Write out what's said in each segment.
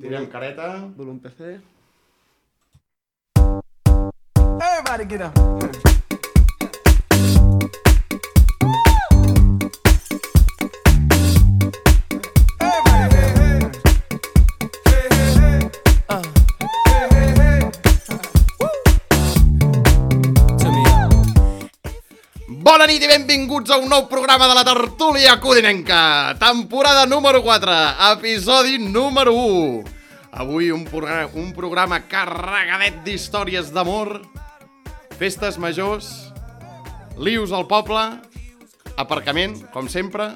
Tirem careta. Volum PC. Everybody get up. Bona nit i benvinguts a un nou programa de la Tertúlia Codinenca. Temporada número 4, episodi número 1. Avui un programa carregadet d'històries d'amor, festes majors, lius al poble, aparcament, com sempre.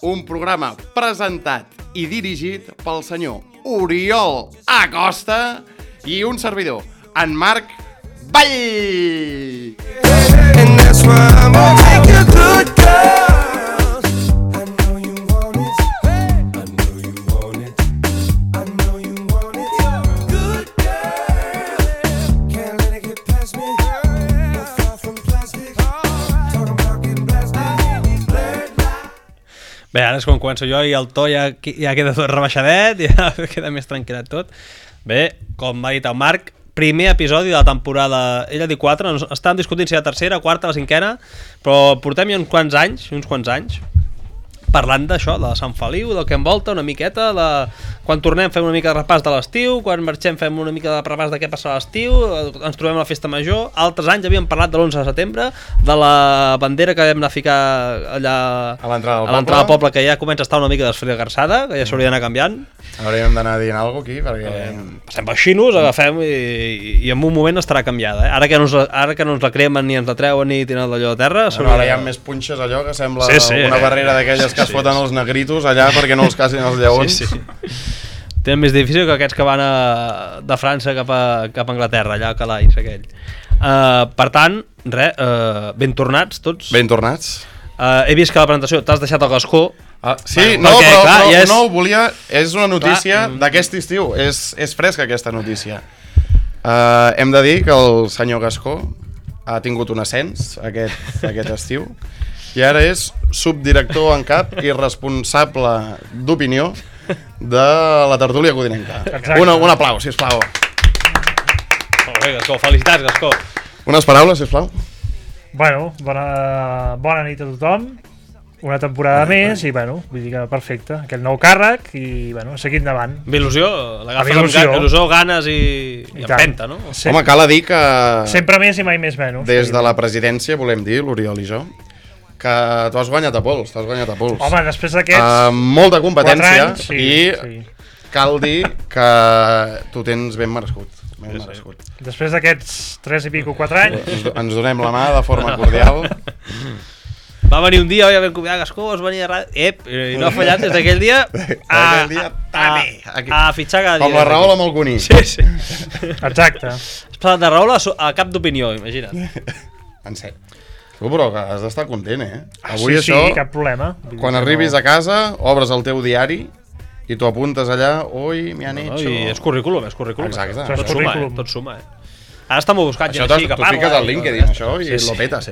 Un programa presentat i dirigit pel senyor Oriol Acosta i un servidor, en Marc Vall. And that's why I'm gonna take you good, girls. I know you want it. I know you want it. I know you want it. Good girl. Can't let it get past me. No far from plastic. Talking about getting blasted. Blurred light. Bé, ara és quan començo jo i el to ja queda tot rebaixadet, ja queda més tranquil·lat tot. Bé, com ha dit el Marc, primer episodi de la temporada, ell ha dit 4, estàvem discutint si la tercera, quarta, la cinquena, però portem ja uns quants anys, parlant d'això, de Sant Feliu, del que envolta una miqueta, quan tornem fem una mica de repàs de l'estiu, quan marxem fem una mica de repàs de què passa a l'estiu, ens trobem a la festa major. Altres anys havíem parlat de l'11 de setembre, de la bandera que vam anar a ficar allà A l'entrada del poble, que ja comença a estar una mica desfrigarsada, que ja s'hauria d'anar canviant. Hauríem d'anar dient alguna cosa aquí, perquè... Passem pels xinos, agafem i en un moment estarà canviada. Ara que no ens la cremen ni ens la treuen ni tenen d'allò a terra... Bueno, ara hi ha més punxes allò que sembla Sí. una barrera d'aquelles que es foten els negritos allà perquè no els casin els lleons. Sí. Tenen més difícil que aquests que van de França cap a Anglaterra, allà a Calais, aquell. Per tant, ben tornats tots. Ben tornats. He vist que a la presentació t'has deixat el gascó. Sí, no, perquè, no, volia... És una notícia d'aquest estiu, és fresca aquesta notícia. Hem de dir que el senyor Gascó ha tingut un ascens aquest estiu i ara és subdirector en cap i responsable d'opinió de la Tertúlia Codinenca. Un aplaus, sisplau. Molt bé, Gascó, felicitats, Gascó. Unes paraules, sisplau. Bueno, bona nit a tothom. Una temporada més i, bueno, vull dir que perfecte. Aquest nou càrrec i, bueno, seguir endavant. Amb il·lusió, l'agafes amb il·lusió, ganes i empenta, no? Home, cal dir que... Sempre més i mai més menys. Des de la presidència, volem dir, l'Oriol i jo, que t'ho has guanyat a pols, Home, després d'aquests... molta competència anys, i cal dir que t'ho tens ben merescut. Després d'aquests 3 i pico 4 anys... Ens donem la mà de forma cordial. Va venir un dia, oi, vam convidar Gascó, vas venir a ràdio... I no ha fallat des d'aquell dia a fitxar cada dia. Com la Rahola amb el Cuní. Sí. Exacte. Has passat de Rahola a cap d'opinió, imagina't. En sèrio. Tu, però que has d'estar content, Avui sí, això, cap problema. Quan arribis a casa, obres el teu diari i t'ho apuntes allà, oi, me han hecho... I és currículum. Exacte. Tot suma. Ara està molt buscat gent així que parla. Això t'ho fiques al LinkedIn, això, i lo petes,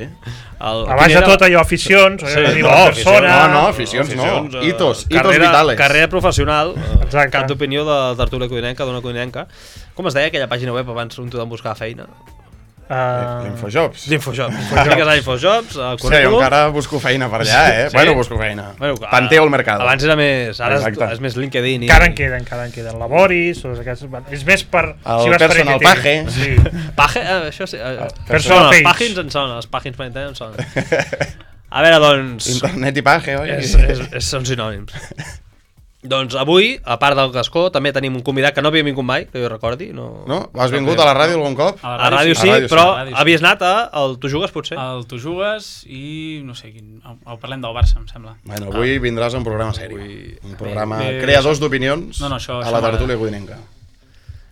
Abans de tot allò, aficions, aficions no. Hitos vitales. Carrera professional, Exacte. cap d'opinió de Tertúlia Codinenca, d'una Codinenca. Com es deia aquella pàgina web abans on tu vam buscar feina? L'Infojobs. Fiques a Infojobs, al Sí, currículum. encara busco feina per allà, Sí? Bueno, busco feina. Panteo el mercado. Abans era més... Ara Exacte. és més LinkedIn. Encara en queden. Laboris, tots aquests... És més per... El personal page. Sí. Page, això sí. Personal Els page. pàgins en són, els pàgins per internet en són. A veure, doncs... Internet i page, oi? Són sinònims. Doncs avui, a part del Gascó, també tenim un convidat que no havia vingut mai, que jo recordi. No? Has vingut a la ràdio algun cop? A la ràdio sí, però havies anat al Tu Jugues, potser? El Tu Jugues i no sé quin... Parlem del Barça, em sembla. Bueno, avui vindràs a un programa seri. Un programa creadors d'opinions a la Tertúlia Codinenca.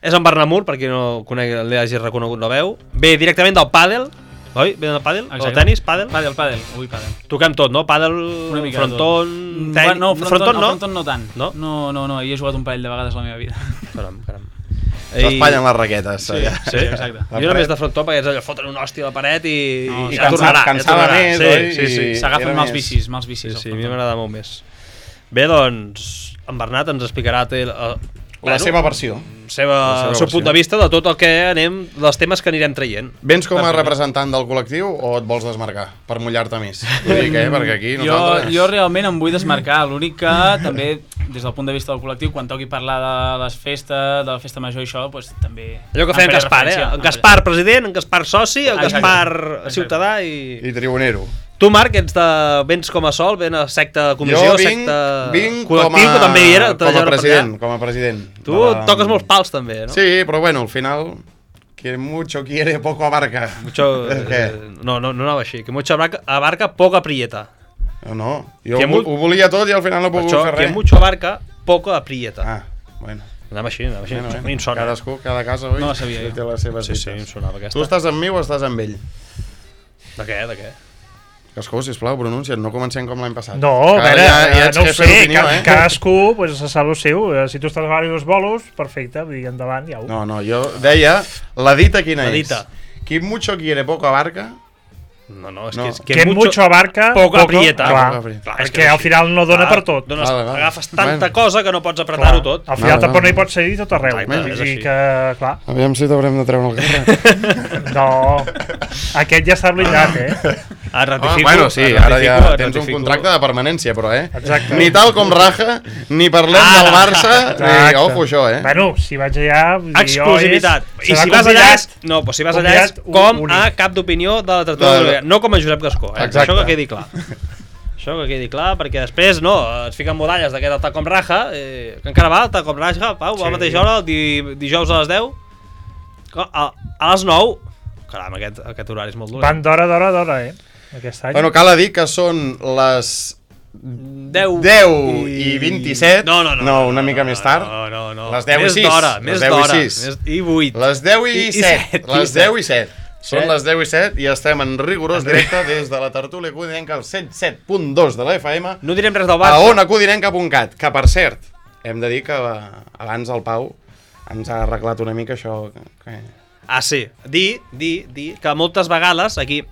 És en Bernamur, per qui no conegui, l'hagi reconegut la veu. Ve directament del pàdel. Oi? Ve del pàdel? O tenis? Pàdel? Pàdel. Ui, pàdel. Toquem tot, no? Pàdel, fronton... No, fronton no tant. No? No, hi he jugat un parell de vegades a la meva vida. Caram. S'espanyen les raquetes. Sí, exacte. Jo només de frontó, perquè és allò, foten una hòstia a la paret i ja tornarà. Cansava més, oi? Sí. S'agafen mals vicis. Sí, a mi m'agrada molt més. Bé, doncs, en Bernat ens explicarà La seva versió. El seu punt de vista de tot el que dels temes que anirem traient. Vens com a representant del col·lectiu o et vols desmarcar per mullar-te més? Vull dir que, perquè aquí nosaltres... Jo realment em vull desmarcar, l'únic que també, des del punt de vista del col·lectiu, quan toqui parlar de les festes, de la festa major i això, doncs també... Allò que feia en Gaspar, En Gaspar president, en Gaspar soci, en Gaspar ciutadà i... I tribunero. Tu, Marc, vens com a sol, ven a secta comissió, vinc col·lectiu, que també hi era. Com a president. Tu toques molts pals, també, no? Sí, però bueno, al final... Que mucho quiere, poco abarca. No anava així. Que mucho abarca, poco aprieta. No, jo ho volia tot i al final no he pogut fer res. Que mucho abarca, poco aprieta. Ah, bueno. Anava així. A mi em sona. Cadascú, cada casa, oi? No la sabia jo. Té les seves dites. Sí, em sonava aquesta. Tu estàs amb mi o estàs amb ell? De què? Cascú, sisplau, pronuncia't, no comencem com l'any passat. No, a veure, ja no ho sé, cadascú pues, se sap el seu. Si tu estàs a diversos bolos, perfecte, vull dir, endavant, ja ho. No, jo deia, la dita quina és? dita. Qui mucho quiere, poco abarca. No, és que mucho abarca, poco aprieta. Clar, és que al final no dona per tot. Agafes tanta cosa que no pots apretar-ho tot. Al final tampoc no hi pots seguir tot arreu. És així. Que, clar. Aviam si t'haurem de treure el carrer. No, aquest ja està blindat, Ratifico. Bueno, sí, ara ja tens un contracte de permanència, però, Exacte. Ni tal com raja, ni parlem del Barça, ni ojo això, Bueno, si vaig allà... Exclusivitat. I si vas allà, si vas allà és com a cap d'opinió de la tertúlia, no com a Josep Gascó, això que quedi clar. Això que quedi clar, perquè després es fiquen modalles d'aquest tal com raja, que encara va, tal com raja, Pau, a la mateixa hora, dijous a les 10, a les 9, caram, aquest horari és molt dolent. Van d'hora, aquest any. Bueno, cal dir que són les 10 i 27. No, una mica més tard. No. Les 10 i 6. Més d'hora. I 8. Les 10 i 7. Les 10 i 7. Són les 10 i 7 i estem en rigorós directe des de la tertúlia codinenca al 107.2 de la FM. No direm res del Barça. A onacodinenca.cat, que per cert, hem de dir que abans el Pau ens ha arreglat una mica això. Sí. Dir que moltes vegades aquí...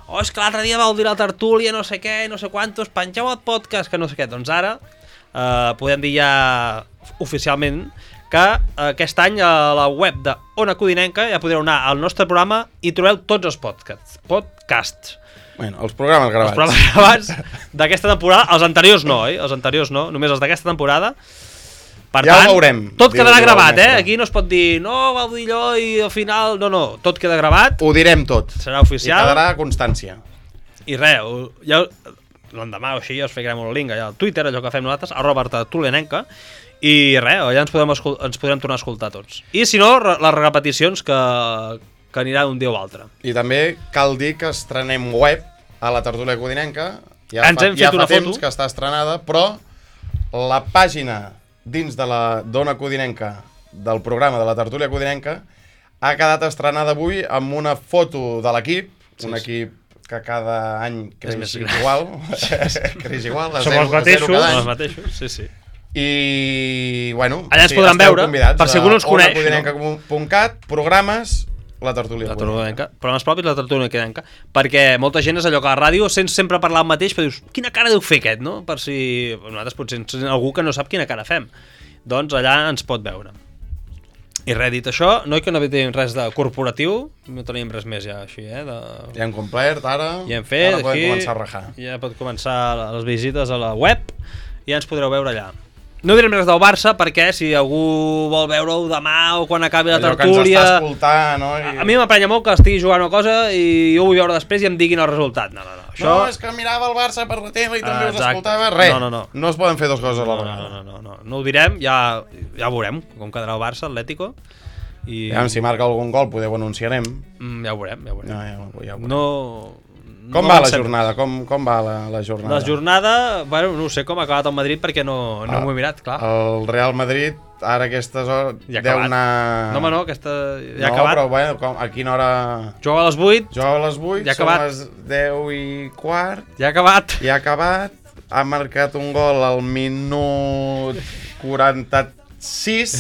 és que l'altre dia vau dir la tertúlia, no sé què, no sé quantos, pengeu el podcast, que no sé què. Doncs ara podem dir ja oficialment que aquest any a la web de Ona Codinenca ja podreu anar al nostre programa i trobeu tots els podcasts. Bueno, els programes gravats. Els programes gravats d'aquesta temporada, els anteriors no, Els anteriors no, només els d'aquesta temporada. Per ja tant, ho veurem. Tot quedarà gravat, Aquí no es pot dir, no, vau dir allò i al final... No, tot queda gravat. Ho direm tot. Serà oficial. I quedarà constància. I res, ja l'endemà o així ja us ficarem un link allà al Twitter, allò que fem nosaltres, @tertulianenca, i res, allà ens podrem tornar a escoltar tots. I si no, les repeticions que anirà un dia o altre. I també cal dir que estrenem web a la tertúlia codinenca. Ja fa temps que està estrenada, però la pàgina dins de la Dona Codinenca del programa de la tertúlia codinenca ha quedat estrenada avui amb una foto de l'equip, un equip que cada any creix igual, creix igual, som els mateixos, sí. I, bueno, allà ens podran veure, per si algú no ens coneix. onacodinenca.cat, programes, la tertúlia codinenca. Programes propis, la tertúlia codinenca. Perquè molta gent és allò que a la ràdio sents sempre parlar el mateix, però dius, quina cara deu fer aquest, no? Per si nosaltres potser ens algú que no sap quina cara fem. Doncs allà ens pot veure. I res, dit això, no tenim res de corporatiu, no tenim res més ja així, Ja hem complert, ara ja hem fet, ara podem començar a rajar. Ja pot començar les visites a la web i ja ens podreu veure allà. No direm res del Barça perquè si algú vol veure-ho demà o quan acabi la tertúlia... Allò que ens està escoltant, no? A mi m'aprenya molt que estigui jugant una cosa i jo ho vull veure després i em diguin el resultat. No. Això... No, és que mirava el Barça per la tele i també us escoltava. Res, no es poden fer dues coses a la vegada. No ho direm, ja veurem com quedarà el Barça, Atlético. I... Si marca algun gol, podeu anunciarem. Ja ho veurem. Ja ho veurem. Com va la jornada? Com va la jornada? La jornada, bueno, no sé com ha acabat el Madrid perquè no m'ho he mirat, clar. El Real Madrid, ara a aquestes hores, deu anar... No, aquesta ja ha acabat. No, però bueno, a quina hora... Juga a les 8. Juga a les 8, ja són les 10 i quart. Ja ha acabat. Ja ha acabat. Ha marcat un gol al minut 46.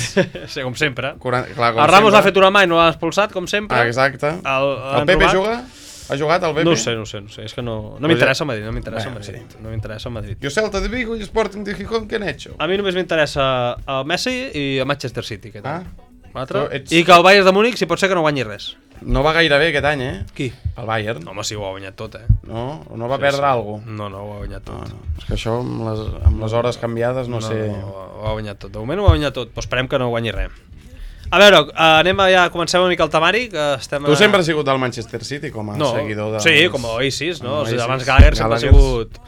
Sí, com sempre. El Ramos ha fet una mà i no l'ha expulsat, com sempre. Exacte. El Pepe juga? Ha jugat al BP? No ho sé. És que no m'interessa el Madrid, no m'interessa el Bueno, Madrid. No m'interessa el Madrid. ¿Y Celta de Vigo y Sporting de Gijón qué han hecho? A mi només m'interessa el Messi i el Manchester City. Aquest any. L'altre. Tu ets- I que el Bayern de Múnich, si pot ser que no guanyi res. No va gaire bé aquest any, Qui? El Bayern. Home, sí, ho ha guanyat tot, No va perdre alguna cosa. No, ho ha guanyat tot. És que això, amb les hores canviades, no sé... Ho ha guanyat tot. De moment ho ha guanyat tot, però esperem que no guanyi res. A veure, comencem una mica el temari, que estem... Tu sempre has sigut del Manchester City com a seguidor de... Sí, com a Oasis, no? O sigui, Oasis. abans Gallagher sempre ha Gallagher. sigut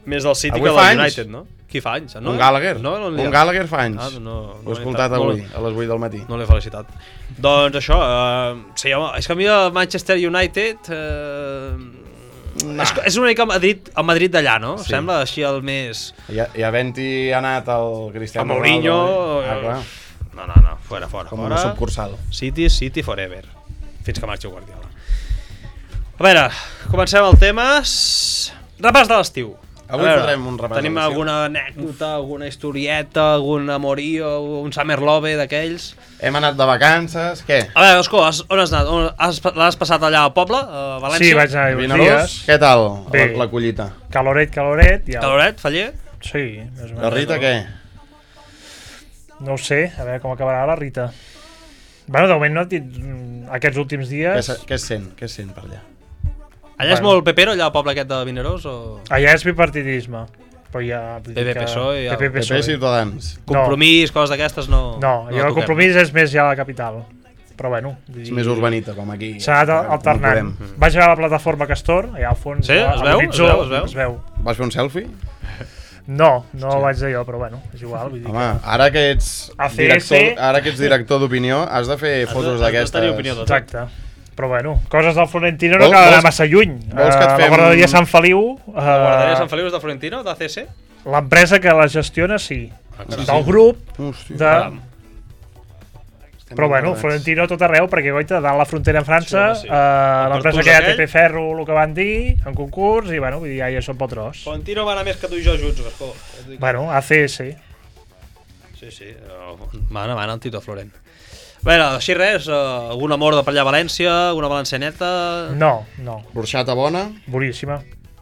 més del City Avui que fa del anys. United, no? Qui fa anys? No? Un Gallagher? No, Un Gallagher fa anys. Ho he escoltat no, avui, a les 8 del matí. No l'he felicitat. Doncs això, sí, home, és que a mi el Manchester United... És una mica el Madrid d'allà, no? Sí. Sembla així el més... I havent-hi anat el Cristiano El Mourinho... Ronaldo, clar, No, fora. com una subcursal. City forever. Fins que marxi Guardiola. A veure, comencem el tema. Repàs de l'estiu. Avui fotrem un repàs Tenim de l'estiu. alguna anècdota, alguna historieta, algun amorío, un summer love d'aquells? Hem anat de vacances, què? A veure, Osco, on has anat? L'has passat allà al poble, a València? Sí, vaig anar uns Vinaròs, dies. què tal Bé. la collita? Caloret. Ja. Caloret, Faller? Sí, més o menys. La Rita, què? No ho sé, a veure com acabarà la Rita. Bueno, de moment no et dit aquests últims dies. Què es sent? Què es sent per allà? Allà és molt pepero, allà al poble aquest de Vinaròs? O... Allà és bipartidisme. Però ja... vull dir PP, que- PSOE, ja. PP, PP Ciutadans. Compromís, coses d'aquestes, no... No, jo el toquem. compromís és més ja a la capital. Però bueno... vull És dir, més urbanita, com aquí. s'ha anat alternant. Vaig a la plataforma Castor, allà al fons. Sí? Es veu? l'horitzó, Es veu? Es veu. Vas fer un selfie? No vaig dir jo, però bueno, és igual. Vull dir Home, ara que ets ACS. director d'opinió, has de fer fotos d'aquestes. tenir opinió que... de tot. Exacte. Però bueno, coses del Florentino no Vols- cal anar vols- massa lluny. vols que et La fem- guarderia Sant Feliu, La guarderia Sant Feliu és de Florentino, d'ACS? l'empresa que la gestiona, sí. sí. Del grup, Hòstia. de... Però bueno, Florentino tot arreu, perquè goita, dalt la frontera amb França, Sí, home, sí. l'empresa Pertús que hi ha aquell. TP Ferro, el que van dir, en concurs, i bueno, vull dir, ja hi són pel tros. Florentino va anar més que tu i jo junts, Gascó. Bueno, ACS. Sí, va anar el Tito Florent. A veure, així res, algun amor de per allà a València, alguna valencianeta... No. L'orxata bona. Boníssima.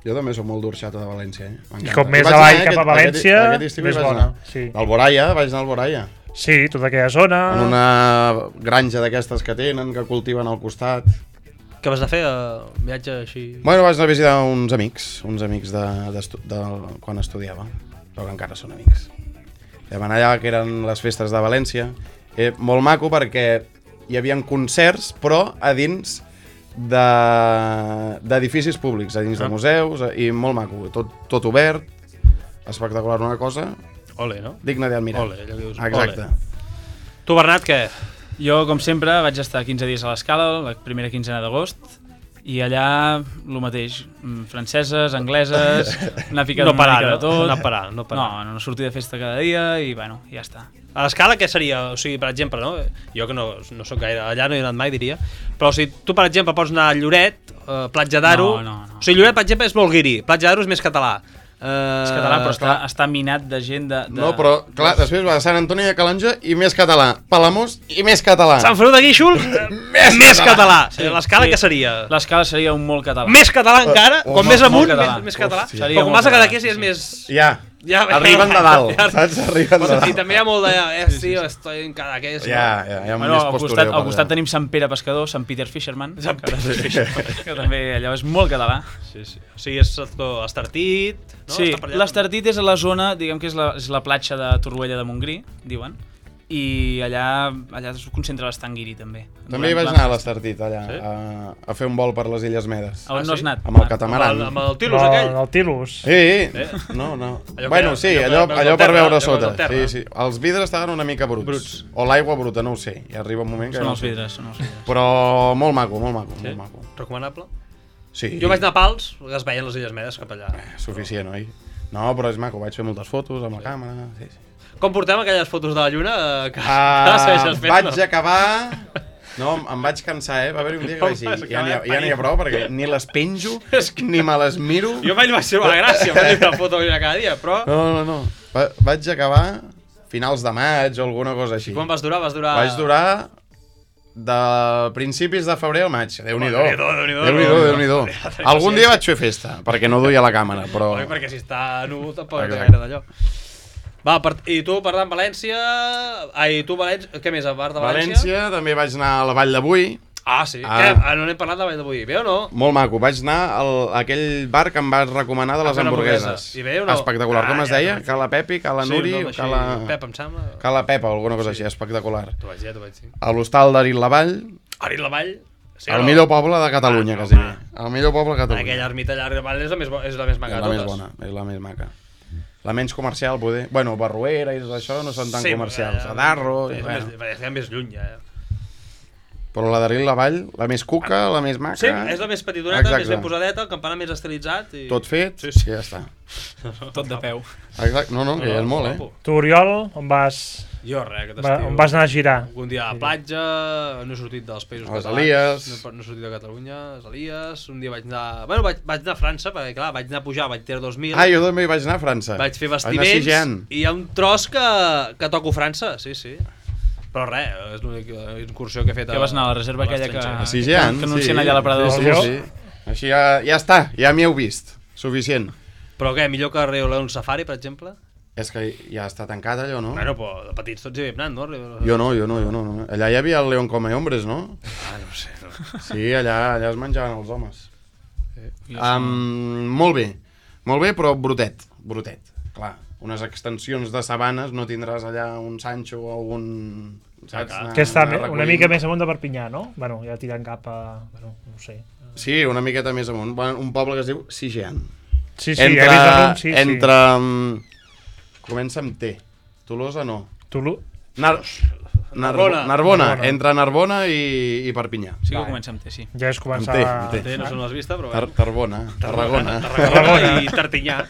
Jo també soc molt d'orxata de València. M'encanta. I com més Vaig avall anar cap a València, aquest estiu hi més vaig bona. anar. Sí. Alboraya, vaig anar a Alboraya. Sí, tota aquella zona... En una granja d'aquestes que tenen, que cultiven al costat. Què vas anar a fer? Un viatge així... Bueno, vaig anar a visitar uns amics de quan estudiava, però que encara són amics. Vam anar allà, que eren les festes de València. Molt maco perquè hi havia concerts, però a dins d'edificis públics, a dins de museus, i molt maco, tot obert, espectacular, una cosa Ole, no? digna d'admirar. Ole, allò dius, Exacte. ole. Tu, Bernat, què? Jo, com sempre, vaig estar 15 dies a l'Escala, la primera quinzena d'agost, i allà el mateix, franceses, angleses, anar ficant No una parar, mica de no? tot. No parar. No sortir de festa cada dia i bueno, ja està. A l'escala què seria? O sigui, per exemple, no? Jo que no soc gaire, allà no he anat mai, diria, però o sigui, tu, per exemple, pots anar a Lloret, Platja d'Aro... No. O sigui, Lloret, per exemple, és molt guiri, Platja d'Aro és més català. És català, però està minat de gent de... No, però, clar, després va a Sant Antoni de Calonja i més català. Palamós i més català. Sant Feliu de Guíxols, més català. Sí, l'escala què seria? L'escala seria un molt català. Més català encara, com més amunt, català. més català. Hòstia. Però com vas a Cadaqués ja és més... Ja, arriben de dalt, saps? Arriben de Pots sentir, dalt. també hi ha molt de... Tio, estoy en Cadaqués. Ja, hi ha Bueno, més al postureo. al costat tenim Sant Pere Pescador, Sant Peter Fisherman, que també allò és molt català. Sí. O sigui, és Estartit, no? Sí, Està per allà. l'Estartit és a la zona, diguem que és la platja de Torroella de Montgrí, diuen, i allà es concentra l'Estant Guiri, també. També hi vaig anar a l'Estartit, allà, a fer un vol per les Illes Medes. On no has anat? Amb el catamaran. Amb el Tilus aquell. El Tilus. Sí, no. Allò Bueno, que- sí, allò allò per per veure allò sota. per terra. Sí. Els vidres estaven una mica bruts. O l'aigua bruta, no ho sé. I arriba un moment que Són no els ho sé. vidres, són els vidres. Però molt maco. Recomanable. Sí, Jo vaig anar a Pals, que es veien les Illes Medes cap allà. suficient, oi? No, però és maco, vaig fer moltes fotos amb la càmera. Sí. Com portem aquelles fotos de la lluna que segueixes fent, Vaig acabar... No, em vaig cansar, Va haver-hi un dia que vaig dir, ja n'hi ha prou, perquè ni les penjo, ni me les miro. Jo mai li vaig ser una gràcia fer una foto de la lluna cada dia, però... No. Vaig acabar finals de maig o alguna cosa així. Quan vas durar? Vaig durar de principis de febrer al maig. Déu-n'hi-do. Déu-n'hi-do. Algun dia vaig fer festa, perquè no duia la càmera, però... Oi, perquè si està nu tampoc té Exacte. gaire d'allò. Va, i tu parlant València... Ai, tu València... Què més, a part de València? València, també vaig anar a la Vall de Boí. Ah, sí. Ah. Què? No n'hem parlat de Vall de Boí. Bé o no? Molt maco. Vaig anar a aquell bar que em vas recomanar de A les fer una hamburgueses. hamburguesa. I bé o no? Espectacular. Com es ja, deia? ja. Cala Pepi, Cala Nuri, Sí, un nom així, Cala... Pep, em sembla. Cala Pepa o alguna cosa així. Espectacular. T'ho vaig dir. A l'hostal d'Arit la Vall, Arit la Vall. Sí, el o no? millor poble de Catalunya, Ah, quasi home. bé. El millor poble de Catalunya. Aquella ermita allà a Arit la Vall és la més maca És de la més totes. bona, és la més maca. La menys comercial, poder... Bueno, Barruera i tot això no són tan comercials. A Darro... És bueno. més lluny, ja. Però la d'Arit la Vall, la més cuca, la més maca... Sí, és la més petitoneta, Exacte. més ben posadeta, el campanar més estilitzat i... Tot fet, Sí, sí. i ja està. Tot de peu. Exacte. No, que ja és molt, guapo. eh? Tu, Oriol, on vas Jo, res, aquest estiu. on vas anar a girar? Algun dia a la platja, no he sortit dels països A les catalans. Elies. No he sortit de Catalunya, a les Elies. Un dia vaig anar... Bueno, vaig anar a França, perquè clar, vaig anar a pujar, vaig ter 2.000. Ah, jo també vaig anar a França. Vaig fer Vaig anar a vestiments Sigean. i hi ha un tros que toco França, sí, sí. Però res, és l'única incursió que he fet Que vas anar a la reserva aquella que... A Sigean, que anuncien allà a l'aparador. Sí, Jo? sí, sí. Així ja està, ja m'hi heu vist. Suficient. Però què, millor que Rio León Safari, per exemple? És que ja està tancat allò, no? Bueno, però de petits tots hi havíem anat, no? Jo no. Allà hi havia el León Come Hombres, no? Ah, no ho sé. No. Sí, allà es menjaven els homes. Jo Molt bé, però brotet. Clar, unes extensions de sabanes no tindràs allà un Sancho o un... Saps? Anar- Que està anar una recollint. mica més amunt de Perpinyà, no? Bueno, ja tirant cap a... Bueno, no ho sé. Sí, una miqueta més amunt. Bueno, un poble que es diu Sigean. Sí, he vist el nom, sí, entre comença amb T. Tolosa no. Tulu... Narbona. Narbona. Entre Narbona i Perpinyà. Sí que Vale. comença amb T, sí. Ja és començar... Amb T. Té, no sé on l'has vista, però... Tarbona, Tarragona. Tarragona i Tartinyà.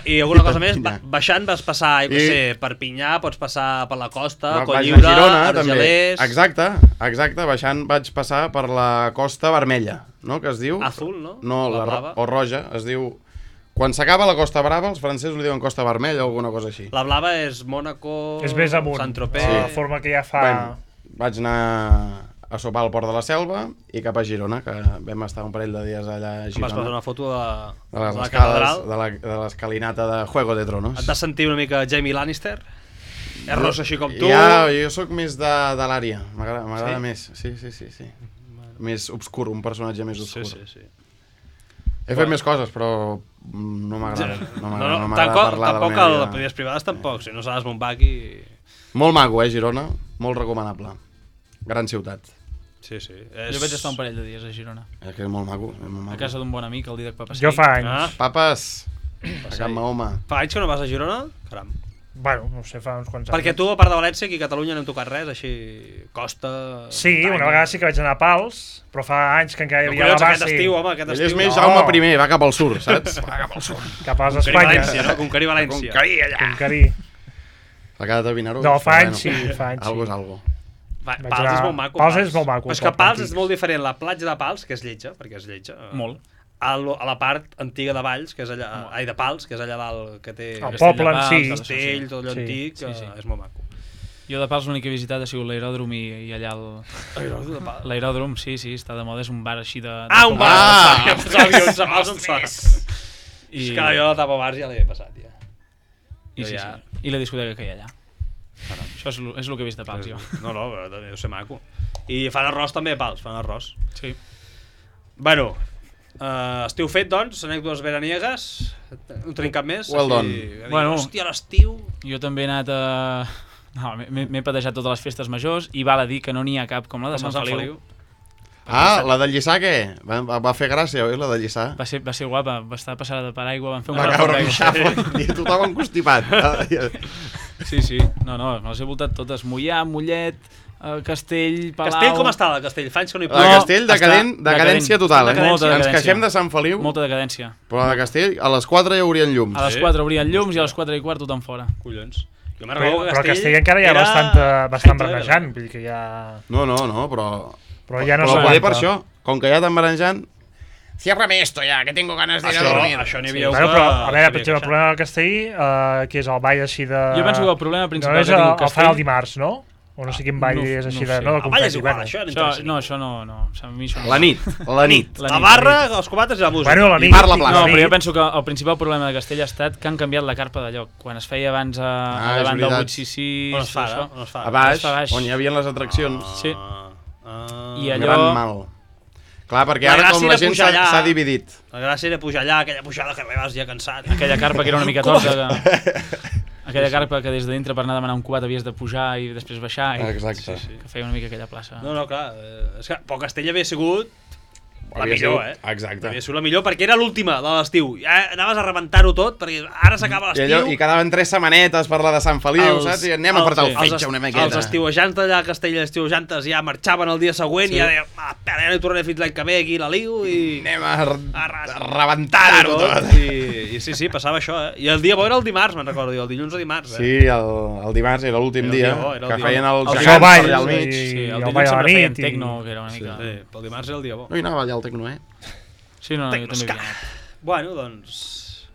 I alguna cosa més, Perpinyà. baixant vas passar, jo què I- sé, Perpinyà, pots passar per la costa, Vaig anar a Cotlliure, Girona, també. Argelers... Exacte, baixant vaig passar per la Costa Vermella, no?, que es diu... Azul, no? No, La blava. o roja, es diu... Quan s'acaba la Costa Brava, els francesos li diuen Costa Vermella o alguna cosa així. La blava és Mónaco, És més amunt. Sant-Tropez... La forma que ja fa... Bueno, vaig anar a sopar al Port de la Selva i cap a Girona, que vam estar un parell de dies allà a Em vas Girona. passar una foto de De les la escales, catedral. de l'escalinata de Juego de Tronos. Et vas sentir una mica Jamie Lannister? És ros així com tu? Ja, jo sóc més de l'àrea, m'agrada Sí? més. Sí. Més obscur, un personatge més obscur. Sí. He fet més coses, però no m'agrada. No m'agrada parlar de la tampoc meva a vida. les primeres privades tampoc, si no saps Montbach i... Molt maco, Girona? Molt recomanable. Gran ciutat. Sí. Jo vaig estar un parell de dies a Girona. És que és molt maco. És molt A maco. casa d'un bon amic, el Didac Papasquí. Jo fa anys. Ah, Papes, a Can Mahoma. fa anys que no vas a Girona? Caram. Bueno, no sé, fa uns quants anys. Perquè tu, a part de València, aquí a Catalunya no hem tocat res, així... Costa... Sí, una vegada sí que vaig anar a Pals, però fa anys que encara hi No, havia la collons, base aquest estiu, home, aquest Ell estiu. és més No. Jaume I, va cap al sur, saps? Va cap al sur. cap a les Conquerir València, Espanyes. no? Conquerir València. Conquerir allà. Conquerir. La cara de Vinaròs. No, fa però anys sí, fa anys Algo sí. és algo. Va, Vaig Pals anar- és molt maco. Pals és molt maco, Però és que poc Pals antic. és molt diferent. La platja de Pals, que és lletja, perquè és lletja. Molt. A la part antiga de Valls, que és allà... Ai, de Pals, que és allà dalt, que té... El Castell poble de en Pals, sí. tot això, Castell, tot allò Sí. antic, Sí, sí. és molt maco. Jo de Pals l'únic que he visitat ha sigut l'aeròdrom i allà el... De Pals. L'aeròdrom, sí, està de moda, és un bar així de... Ah, un bar! Ah! Els avions de Pals en sort. I, És que jo la tapa bars ja l'he passat, ja. i, sí, ja- sí. I la discoteca que hi ha allà. Això és el que he vist de Pals, jo. No, però deu ser maco. I fan arròs també a Pals, fan arròs. Sí. Bueno, estiu fet, doncs, anècdotes veraniegues. No tenim cap més. Well done. Bueno, Bueno. hòstia, l'estiu... Jo també he anat a... No, m'he patejat totes les festes majors i val a dir que no n'hi ha cap com la de Com Sant Sant Feliu. Ah, la de Lliçà, què? Va fer gràcia, oi, la de Lliçà? Va ser guapa, va estar passada de paraigua, van fer un Va bar caure d'aigua. un xafo i tothom encostipat. Sí, sí. No, me les he voltat totes. Mollà, Mollet, Castell, Palau... Castell com està, la Castell? Fa anys que no hi La puc. de No, Castell, està decadència decadent. total, eh? Molta Ens decadència. queixem de Sant Feliu, Molta decadència. però la de Castell, a les 4 ja haurien llums. A les 4 obrien llums i a les 4 i quart tothom fora. Collons. Jo me'n Però, recordo que però Castell encara hi ha era bastant Hitler. brenejant, vull dir que ja... No, però... Però ja no però s'aguanta. poder per això, com que ja t'han barejant... Ciérrame esto ya, que tengo ganas de ir a dormir. Això n'hi havia Bueno, però, a veure, per exemple, el problema del Castell, que és el ball així de... Jo penso que el problema No principal és que el diu fan el Castell... dimarts, no? O no sé quin ball No- és així no de... sé. No, de El ball és confeti, igual, bueno. això no interessa. Això no. A mi això no. La nit. La nit, barra, els cubates i la música. Bueno, la I nit. parla plaça. No, la però jo nit. penso que el principal problema de Castella ha estat que han canviat la carpa de lloc. Quan es feia abans a és davant del veritat. 866... On es fa, això, on es fa? A baix, Es fa baix. on hi havia les atraccions. Sí. I Un allò... gran mal. Clar, perquè La ara gràcia com era la gent pujar allà. s'ha dividit. La gràcia era pujar allà, aquella pujada que arribaves ja cansat. Aquella carpa que era una mica torta. Aquella carpa que des de dintre per anar a demanar un cubat havies de pujar i després baixar. Exacte. Que feia una mica aquella plaça. No, clar, és que però Castella havia sigut la Havia millor, sigut- eh? Exacte. Havia sigut la millor perquè era l'última de l'estiu. Ja anaves a rebentar-ho tot perquè ara s'acaba I, allò, l'estiu. I quedaven 3 setmanetes per la de Sant Feliu, saps? I anem a apretar el fetge una miqueta. Els estiuejants d'allà a Castella, els estiuejantes ja marxaven el dia següent i ja deien, espera, ja no hi tornaré fins l'any que ve, aquí la liu i... Anem a a rebentar-ho tot. I sí, passava això, eh? I el dia bo era el dimarts, me'n recordo, i el dilluns o dimarts, eh? Sí, el dimarts era l'últim Era el dia, dia bo, era el que dia feien bo. els El gegants ball, per allà al sí. mig. Sí, I el el dilluns ball a la sempre feien nit i- tecno, que era una mica... Sí, el dimarts era el dia bo. No hi anava allà el tecno, eh? Sí, no, jo també havia anat. Bueno, doncs...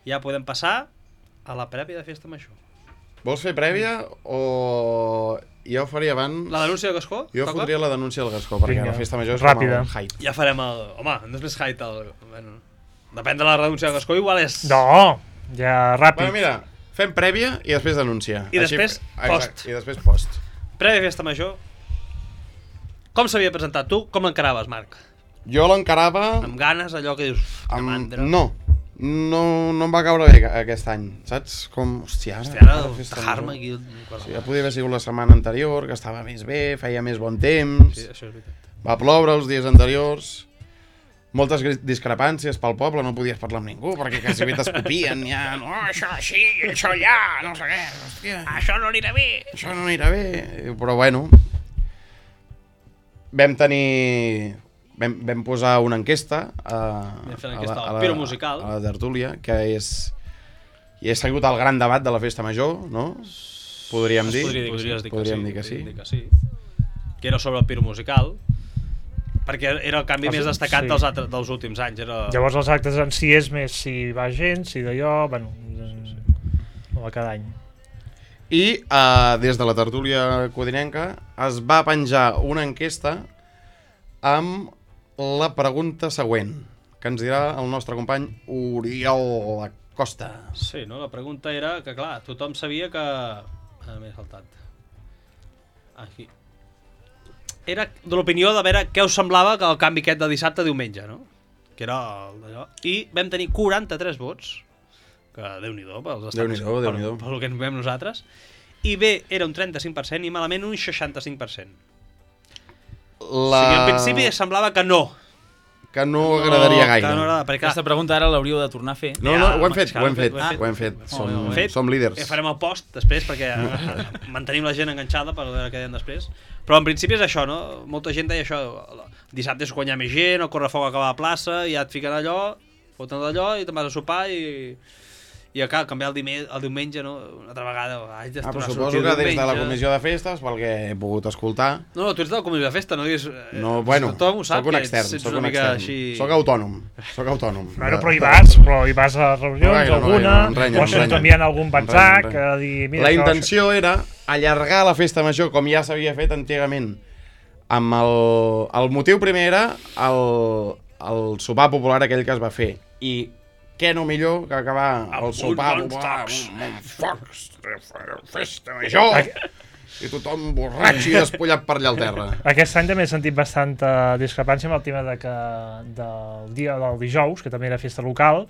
Ja podem passar a la prèvia de Festa Major. Vols fer prèvia o... Jo faria abans... La denúncia de Gascó? Jo Toca? fotria la denúncia del Gascó, perquè Vinga, la festa major és ràpida. com el hype. Ja farem el... Home, no és més height el... Bueno, depèn de la denúncia de Gascó, igual és... No, ja ràpid. Bueno, mira, fem prèvia i després denúncia. I després post. Exacte, i després post. Prèvia Festa Major. Com s'havia presentat tu? Com l'encaraves, Marc? Jo l'encarava Amb ganes, allò que dius... Que amb... mandra. No em va caure bé aquest any, saps? Com, hòstia, ara... Hòstia, ara ara festa tajar-me major. aquí... Sí, ja podia haver sigut la setmana anterior, que estava més bé, feia més bon temps, Sí, això és veritat. va ploure els dies anteriors, moltes discrepàncies pel poble, no podies parlar amb ningú, perquè quasi bé t'escopien, ja, no, això així, això allà, no sé què, hòstia, Això no anirà bé! això no anirà bé, però bueno, vam posar una enquesta Vam fer l'enquesta del Piro Musical. a la tertúlia, que és sigut el gran debat de la festa major, no? Podríem dir. Podries dir que Podríem sí. dir que sí. Podríem dir que sí. Que era sobre el Piro Musical, perquè era el canvi més destacat sí. dels últims anys. Era... Llavors els actes en si és més si va gent, si d'allò, bueno, no va cada any. I des de la tertúlia codinenca es va penjar una enquesta amb la pregunta següent, que ens dirà el nostre company Oriol Acosta. Sí, no? La pregunta era que, clar, tothom sabia que... m'he saltat. Aquí. Era de l'opinió de veure què us semblava que el canvi aquest de dissabte a diumenge, no? Que era d'allò. I vam tenir 43 vots, que Déu-n'hi-do, pels estats, Déu-n'hi-do. pel que ens veiem nosaltres. I bé, era un 35% i malament un 65%. O sigui, en principi semblava que no. Que no agradaria gaire. Que no agrada, perquè Aquesta pregunta ara l'hauríeu de tornar a fer. No, ho hem fet, clar, ho hem fet. ho hem Som, Molt bé. som líders. Farem el post després perquè mantenim la gent enganxada per veure què deien després. Però en principi és això, no? Molta gent deia això. Dissabte és quan hi ha més gent, el correfoc acaba a la plaça, ja et fiquen allò, foten d'allò i te'n vas a sopar i acaba canviar el diumenge, no? Una altra vegada. Però suposo que des de la comissió de festes, pel que he pogut escoltar... No, tu ets de la comissió de festa, no diguis... No, bueno, tothom ho sap, soc un que extern, ets soc una un mica extern. així... Soc autònom. Bueno, però hi vas a reunions, No gaire, alguna, no renya, o no se'ns renya. envien algun WhatsApp, No que renya. dir... Mira, La això, intenció era allargar la festa major com ja s'havia fet antigament. Amb el motiu primer era el sopar popular aquell que es va fer. I què no millor que acabar el sopar popular amb uns focs, festa major, i tothom borratx i despullat per allà al terra. Aquest any també he sentit bastanta discrepància amb el tema de que del dia del dijous, que també era festa local,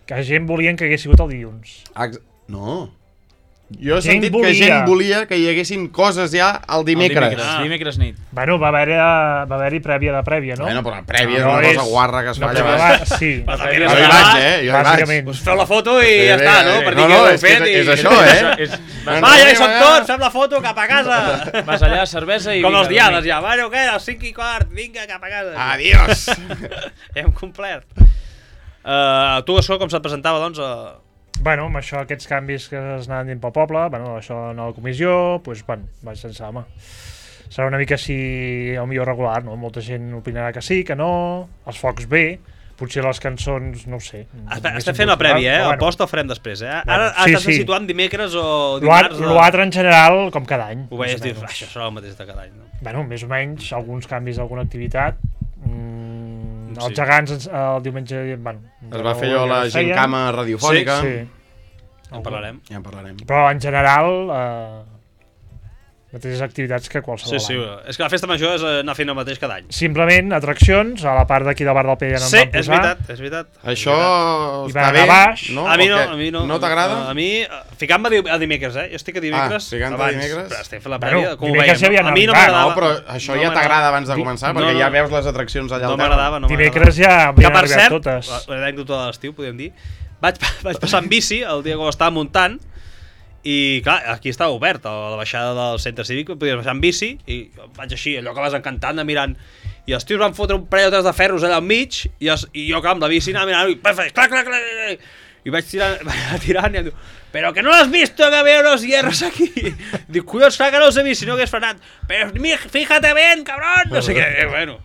que gent volien que hagués sigut el dilluns. No. Jo he Gent sentit que volia. gent volia que hi haguessin coses ja el dimecres. Dimecres nit. Bueno, va haver-hi prèvia de prèvia, no? Bueno, però la prèvia és No, una és- cosa guarra que es fa No, allà però baix. sí. Però també Jo eres hi allà, vaig, jo hi vaig. bàsicament. Pues feu la foto i ja està, no? Per dir no, que ho heu és que fet i... és això, eh? Va, ja hi som tots, fem la foto, cap a casa! Vas allà, cervesa i... Com vinga, els diades dormir. ja, bueno, què, a les 5:15, vinga, cap a casa. Adiós! Hem complert. Tu, això, com se't presentava, doncs... Bueno, amb això, aquests canvis que es anaven dint pel poble, bueno, això en la comissió, doncs, bueno, vaig pensar, home, serà una mica així, el millor regular, no? Molta gent opinarà que sí, que no, els focs bé, potser les cançons, no ho sé. Estem fent la prèvia, Però el post el farem després, eh? Bueno, Ara sí, t'has de situar en dimecres o dimarts. L'altre en general, com cada any. Ho veies més o dir, menys. això serà el mateix de cada any, no? Bueno, més o menys, alguns canvis d'alguna activitat. Sí. Els gegants el diumenge... Bueno, Es va fer allò la gincama radiofònica. Sí. En parlarem. Ja en parlarem. Però en general, mateixes activitats que qualsevol Sí, any. és que la festa major és anar fent el mateix cada any. Simplement atraccions, a la part d'aquí del bar del P ja no en Sí, van posar. és veritat. Això I està van bé, anar baix. no? A mi no, O què? a mi no. No t'agrada? A mi, ficant-me a dimecres, jo estic a dimecres ficant-te a abans, dimecres? però estem fent la Bueno, prèvia, com ho dimecres veiem. ja havia A mi no anat, m'agradava. No, però això ja t'agrada abans de començar, perquè no, ja no. veus les atraccions allà No al terra. m'agradava, no m'agradava. Dimecres ja Que havien per arribat cert, totes. l'anècdota de l'estiu, podríem dir, vaig passar en bici el dia que ho estava muntant i clar, aquí estava obert, a la baixada del centre cívic podies baixar en bici i vaig així, allò que vas encantant, mirant, i els tios van fotre un parell o tres de ferros allà al mig i jo clar, amb la bici anava mirant i clac, i vaig tirant i em diu, però que no l'has visto que veo los hierros aquí. Dic, collons, clar que no els he vist, si no hagués frenat, però fíjate bien, cabrón, no sé què, bueno,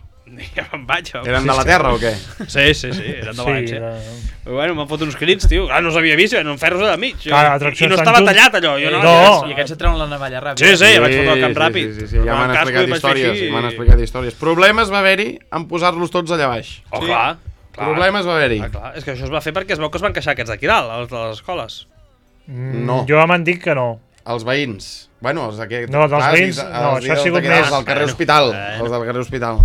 ja me'n vaig. Eren de la terra o què? Sí, eren de València. Sí, Bueno, m'han fotut uns crits, tio. Clar, no els havia vist, eren ferros allà al mig. Clar, I atraccions no tan estava junts. tallat, allò. Jo No. I aquests et treuen la navalla ràpida. Sí, vaig fotre el camp ràpid. Sí, ja m'han explicat històries, m'han explicat històries. Problemes va haver-hi en posar-los tots allà baix. Oh, clar. Problemes va haver-hi. Clar, és que això es va fer perquè es veu que es van queixar aquests d'aquí dalt, els de les escoles. No. Jo m'han dit que no. Els veïns. Bueno, els d'aquí... No, dels veïns, no, això ha sigut Els més- del carrer Hospital. Els del carrer Hospital.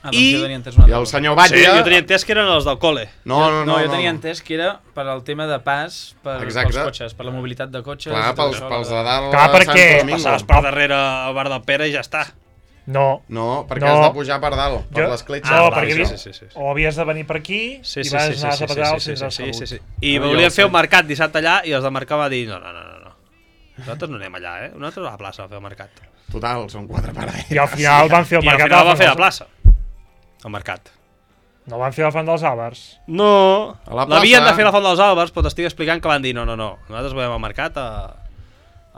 Ah, doncs I- jo tenia entès una I altra el cosa. senyor Sí, Batlle... jo tenia entès que eren els del col·le. No, jo tenia entès que era per al tema de pas pels Exacte. cotxes, per la mobilitat de cotxes. Clar, i tot pels això, de dalt Clar, a perquè Sant Domingo. Passaves per darrere al bar del Pere i ja està. No. No, perquè No. has de pujar per dalt, per l'escletxa. No, clar, perquè sí. o havies de venir per aquí Sí, i sí, vas sí, anar a sí, Zapatero al sí, centre de sí, salut. sí. I No, jo volien el fer un sé. mercat dissabte allà i els de mercat va dir no. Nosaltres no anem allà, Nosaltres a la plaça a fer el mercat. Total, són 4 parades. I al final van fer el I al mercat final a la va fer a la Font plaça. El mercat. No van fer la Font dels Àlbers. No, A la plaça. l'havien de fer a la Font dels Àlbers, però t'estic explicant que van dir no. Nosaltres volem el mercat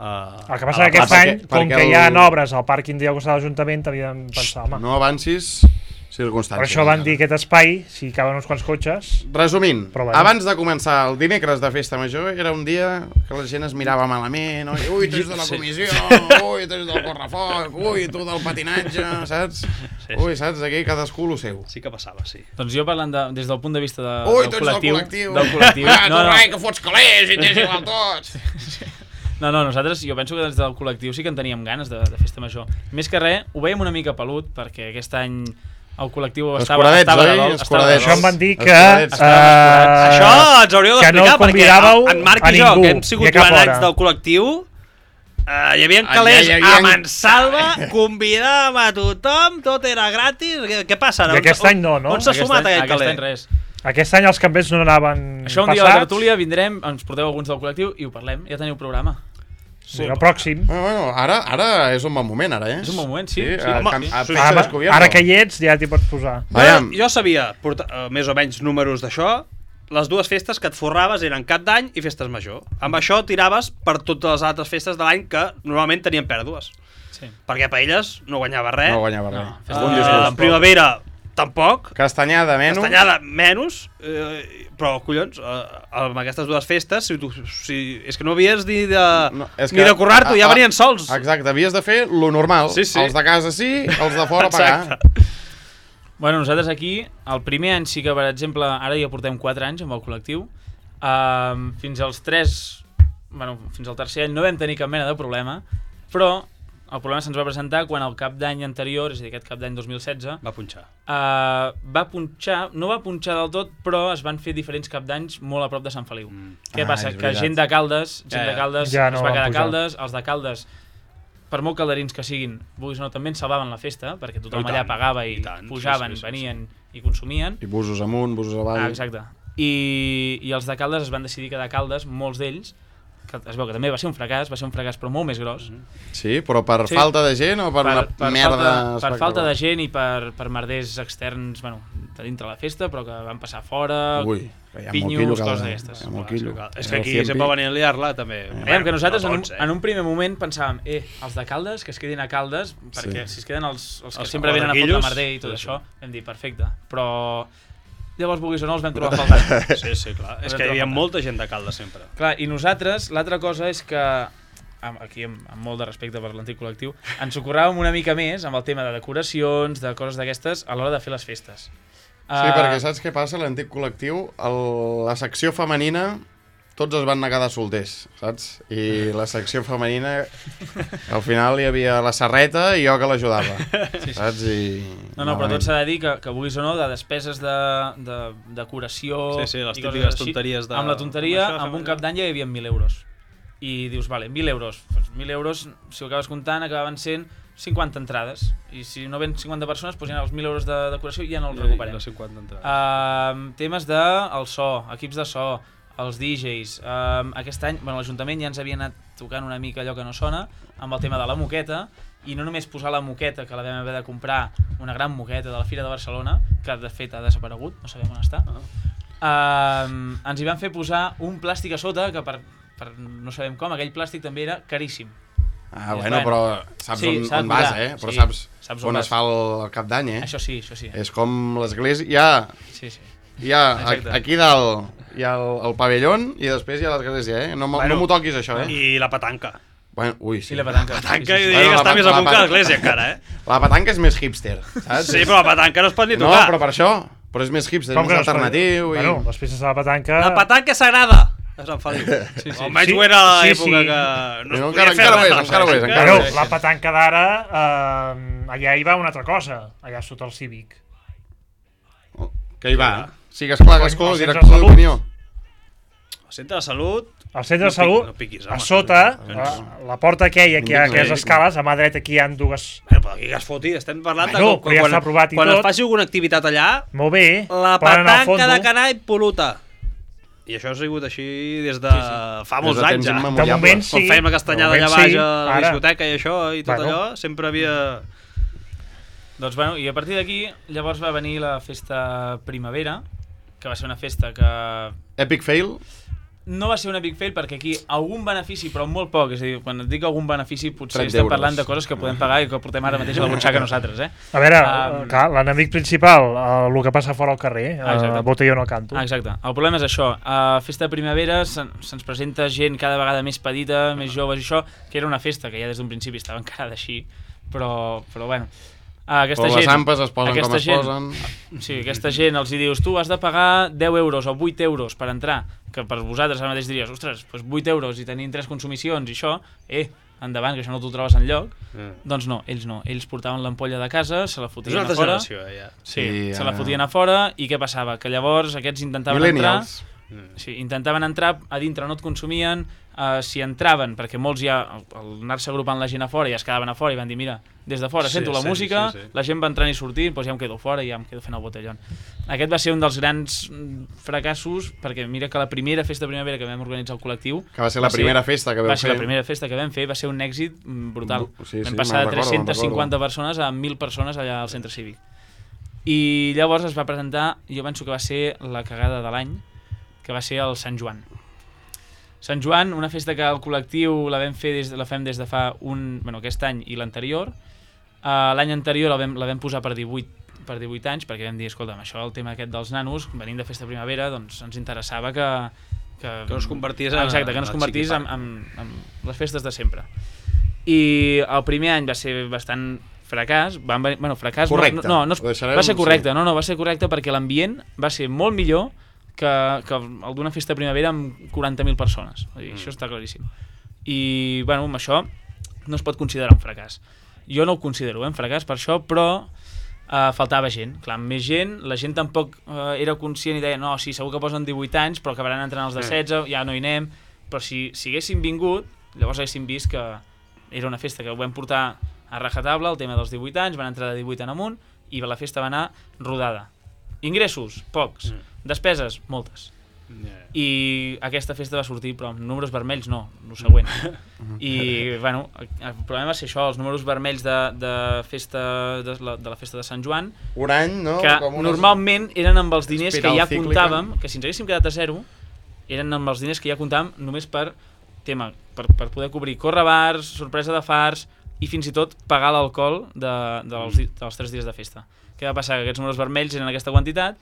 El que passa que aquest any, com que hi ha obres al pàrquing d'allò que està a l'Ajuntament, havien de pensar, home. No avancis circumstàncies. Per això van dir aquest espai, si caben uns quants cotxes. Resumint, Però bueno. abans de començar el dimecres de festa major, era un dia que la gent es mirava malament, ui, tu ets de la comissió, ui, tu ets del correfoc, ui, tu del patinatge, saps? Ui, saps, aquí cadascú lo seu. Sí que passava, sí. Doncs jo parlant des del punt de vista Ui, del tu ets del col·lectiu. col·lectiu. Ah, tu, No, rai, que fots calés i tens igual tots. No, nosaltres, jo penso que des del col·lectiu sí que en teníem ganes de festa major. Més que res, ho veiem una mica pelut, perquè aquest any el col·lectiu estava de dol. Escuradets. Això em van dir que... Escuradets. Això ens hauríeu que no d'explicar, perquè convidàveu en Marc a i jo, ningú, que hem i sigut a cap durant anys hora. del col·lectiu, hi havia Allà calés hi havia- a Mansalva, convidàvem a tothom, tot era gratis. Què passa ara? I aquest any no, no? On s'ha sumat aquest Aquest calé? any res. Aquest any els campers no anaven Això un dia a la passats. tertúlia vindrem, ens porteu alguns del col·lectiu i ho parlem. Ja teniu programa. Sí, el pròxim. Bueno, ara és un bon moment, ara, És un bon moment, sí. home, A sí. peça descobierto. Ara que hi ets ja t'hi pots posar. Aviam. Jo sabia més o menys números d'això. Les dues festes que et forraves eren Cap d'Any i Festes Major. Amb això tiraves per totes les altres festes de l'any que normalment tenien pèrdues. Sí. Perquè Paelles no guanyava res. No guanyava res. Festa Un Major disgust. En primavera tampoc. Castanyada menys. Castanyada menys. Però, collons, amb aquestes dues festes, és que no havies ni de currar-t'ho, ja venien sols. Exacte, havies de fer lo normal. Sí, sí. Els de casa sí, els de fora pagar. Exacte. Bueno, nosaltres aquí, el primer any sí que, per exemple, ara ja portem 4 anys amb el col·lectiu, fins als 3, bueno, fins al tercer any no vam tenir cap mena de problema, però el problema se'ns va presentar quan el cap d'any anterior, és a dir, aquest cap d'any 2016, Va punxar. no va punxar del tot, però es van fer diferents cap d'anys molt a prop de Sant Feliu. Què Ah, passa? és Que veritat. gent de Caldes, Ja no es va van quedar a pujar. Caldes, els de Caldes, per molt calderins que siguin, vulguis o no, també en salvaven la festa, perquè tothom I tant, allà pagava i tant, pujaven, sí. venien i consumien. I busos amunt, busos avall. Exacte. I els de Caldes es van decidir quedar a Caldes, molts d'ells, que es veu que també va ser un fracàs però molt més gros. Sí, però per Sí. falta de gent o per una merda per falta de gent i per merders externs, bueno, de dintre la festa, però que van passar fora, Ui, que hi ha pinyos, molt quillo. coses d'aquestes. Hi ha molt quillo. És que aquí sempre venien a liar-la, també. Veiem que nosaltres no tots, en un primer moment pensàvem els de Caldes, que es quedin a Caldes, perquè si es queden els que Els sempre venen a fotre quillos, merder i tot sí, això, vam dir, perfecte. Però llavors vulguis o no els vam trobar faltant. Sí, clar. És que hi havia molta gent de Caldes sempre. Clar, i nosaltres, l'altra cosa és que, aquí amb molt de respecte per l'antic col·lectiu, ens ocorràvem una mica més amb el tema de decoracions, de coses d'aquestes, a l'hora de fer les festes. Sí, perquè saps què passa? L'antic col·lectiu, la secció femenina, tots es van negar de solters, saps? I la secció femenina, al final hi havia la Serreta i jo que l'ajudava, saps? No, però tot s'ha de dir que vulguis o no, de despeses de decoració... Sí, les típiques tonteries de... Amb la tonteria, amb un cap d'any ja hi havia 1.000 euros. I dius, vale, 1.000 euros. Pues 1.000 euros, si ho acabes comptant, acabaven sent 50 entrades. I si no ven 50 persones, doncs ja els 1.000 euros de decoració ja no els recuperem. Les 50 entrades. Temes del so, equips de so, els DJs. Aquest any, l'Ajuntament ja ens havia anat tocant una mica allò que no sona, amb el tema de la moqueta, i no només posar la moqueta, que la vam haver de comprar, una gran moqueta de la Fira de Barcelona, que de fet ha desaparegut, no sabem on està. Ens hi van fer posar un plàstic a sota, que per no sabem com, aquell plàstic també era caríssim. Bueno, però saps on vas, Però saps on es fa el cap d'any, Això sí. És com l'església... Hi ha aquí dalt hi ha el pavellón i després hi ha l'església, No m'ho toquis, això, I la petanca. Ui, sí. I la petanca. La petanca, jo diria que està més amunt que l'església, encara, La petanca és més hipster, saps? Sí, però la petanca no es pot ni tocar. No, però per això. Però és més hipster, és més alternatiu. Bueno, les peces de la petanca... La petanca sagrada! És en Feliu. Almenys ho era a l'època que... Encara ho és. La petanca d'ara, allà hi va una altra cosa, allà sota el Cívic. Que hi va? Sigues clar, Gascó, director d'opinió. Al centre de salut... Al centre de salut, a sota, la porta aquella, que hi ha aquelles escales, a mà dreta aquí hi ha dues... Però aquí que es foti, estem parlant de... Però ja està aprovat i tot. Quan es faci alguna activitat allà... Molt bé. La petanca de Canall Poluta. I això ha sigut així des de fa molts anys, ja. De moment sí. Quan fèiem la castanyada allà baix a la discoteca i això, i tot allò, sempre havia... Doncs bueno, i a partir d'aquí, llavors va venir la festa primavera, que va ser una festa que... Epic fail? No va ser un epic fail perquè aquí algun benefici, però molt poc, és a dir, quan et dic algun benefici potser estem parlant de coses que podem pagar i que portem ara mateix a la butxaca nosaltres, A veure, clar, l'enemic principal, el que passa fora al carrer, botelló no canto. Exacte, el problema és això, a festa de primavera se'ns presenta gent cada vegada més petita, més joves i això, que era una festa que ja des d'un principi estava encarada així, però bueno... Però les ampes es posen com es posen. Sí, aquesta gent els hi dius, tu has de pagar 10 euros o 8 euros per entrar, que per vosaltres ara mateix diries, ostres, doncs 8 euros i tenim 3 consumicions i això, endavant, que això no t'ho trobes enlloc. Doncs no, ells portaven l'ampolla de casa, se la fotien a fora. És una altra generació, ja. Sí, se la fotien a fora i què passava? Que llavors aquests intentaven entrar... Sí, intentaven entrar, a dintre no et consumien, si entraven, perquè molts ja, al anar-se agrupant la gent a fora, ja es quedaven a fora i van dir, mira, des de fora sento la música, la gent va entrant i sortint, doncs ja em quedo fora i ja em quedo fent el botellón. Aquest va ser un dels grans fracassos, perquè mira que la primera festa de primavera que vam organitzar el col·lectiu... Que va ser la primera festa que vam fer. Va ser la primera festa que vam fer, va ser un èxit brutal. Vam passar de 350 persones a 1.000 persones allà al centre cívic. I llavors es va presentar, jo penso que va ser la cagada de l'any, que va ser el Sant Joan. Sant Joan, una festa que el col·lectiu la fem des de fa aquest any i l'anterior. L'any anterior la vam posar per 18 anys, perquè vam dir, escolta'm, això, el tema aquest dels nanos, venint de festa primavera, doncs ens interessava que no es convertís en les festes de sempre. I el primer any va ser bastant fracàs, fracàs... Correcte. Va ser correcte, va ser correcte perquè l'ambient va ser molt millor que el d'una festa de primavera amb 40.000 persones. Això està claríssim. I, amb això no es pot considerar un fracàs. Jo no ho considero un fracàs per això, però faltava gent. Clar, amb més gent, la gent tampoc era conscient i deia, no, sí, segur que posen 18 anys, però acabaran entrant els de 16, ja no hi anem. Però si haguéssim vingut, llavors haguéssim vist que era una festa que ho vam portar a rajatabla, el tema dels 18 anys, van entrar de 18 en amunt, i la festa va anar rodada. Ingressos, pocs. Despeses, moltes. I aquesta festa va sortir, però amb números vermells no, el següent. I, el problema va ser això, els números vermells de la festa de Sant Joan, un any, no? Que normalment eren amb els diners que ja comptàvem, que si ens haguéssim quedat a zero, eren amb els diners que ja comptàvem només per poder cobrir correbars, sorpresa de fars i fins i tot pagar l'alcohol dels 3 dies de festa. Què va passar? Que aquests números vermells eren aquesta quantitat,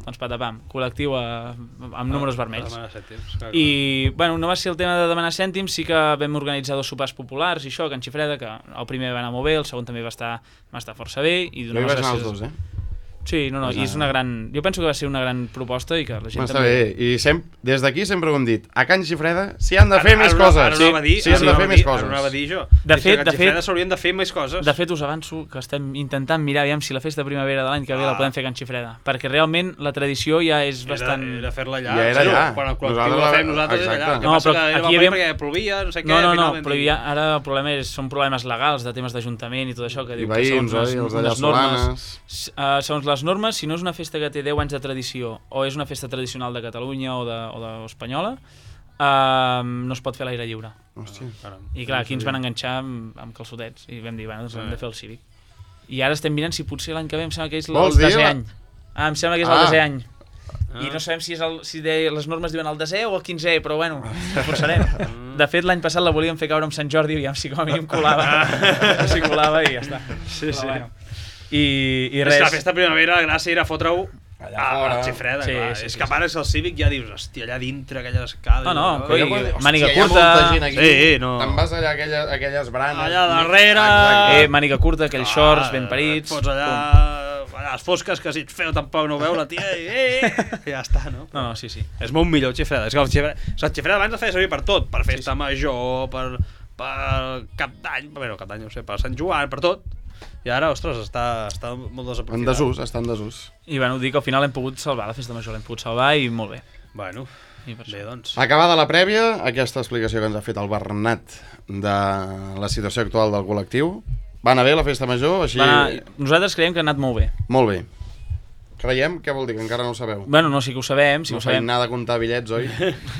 doncs patapam, col·lectiu amb números vermells. Demanar cèntims, clar, I, bueno, no va ser el tema de demanar cèntims, sí que vam organitzar 2 sopars populars i això, a Can Xifreda, que el primer va anar molt bé, el segon també va estar força bé. I Jo hi vaig anar els dos, Sí, no, i és una gran... Jo penso que va ser una gran proposta i que la gent Està bé, i des d'aquí sempre ho hem dit. A Can Xifreda s'hi han de fer més coses. Ara anava a dir, s'hi han de fer més coses. Ara anava a dir jo. De fet, s'haurien de fer més coses. De fet, us avanço que estem intentant mirar aviam si la festa de primavera de l'any que ve la podem fer a Can Xifreda, perquè realment la tradició ja és bastant... Era fer-la allà. Ja era allà. Quan el col·lectiu la fem nosaltres és allà. No, però aquí hi havia... perquè plovia, no sé què... No, però ara el problema són problemes legals de temes d'Ajuntament i tot això, que diu que veïns, segons els d'allà les normes, Solanes. segons les normes, si no és una festa que té 10 anys de tradició o és una festa tradicional de Catalunya o espanyola, no es pot fer a l'aire lliure. Hòstia. I clar, aquí ens van enganxar amb calçotets i vam dir, bueno, doncs hem de fer el cívic. I ara estem mirant si potser l'any que ve em sembla que és el desè any. Em sembla que és el desè any. I no sabem si les normes diuen el desè o el 15è, però bueno, ho forçarem. De fet, l'any passat la volíem fer caure amb Sant Jordi, aviam si com a mínim colava. Si colava i ja està. Sí, sí. Bueno. I res... És que la festa de primavera, la gràcia era fotre-ho a Xifreda, Sí, clar. sí, És sí, que a part és el Cívic, ja dius, hòstia, allà dintre, aquelles escales... No, Però màniga hòstia, hi ha curta... molta gent aquí. Sí, no. Te'n vas allà a aquelles branes. Allà darrere... Exacte. Màniga curta, aquells shorts ben parits... Et fots allà a les fosques, que si ets feu tampoc no ho veu la tia, i ja està, no? No, sí. És molt millor Xifreda. És que el Xifreda abans el feia servir per tot, per festa major, per Cap d'Any, bueno, Cap d'Any no sé, per Sant Joan, per tot. I ara, ostres, està molt desaprofitat. En desús, està en desús. I bueno, dic que al final l'hem pogut salvar, la festa major l'hem pogut salvar i molt bé. Bueno, I per bé, això. doncs. Acabada la prèvia, aquesta explicació que ens ha fet el Bernat de la situació actual del col·lectiu. Va anar bé la festa major? Així... Nosaltres creiem que ha anat molt bé. Molt bé. Creiem? Què vol dir? Que encara no ho sabeu? Bueno, no, sí que ho sabem. Sí no ho sabem. feim nada de comptar bitllets, oi?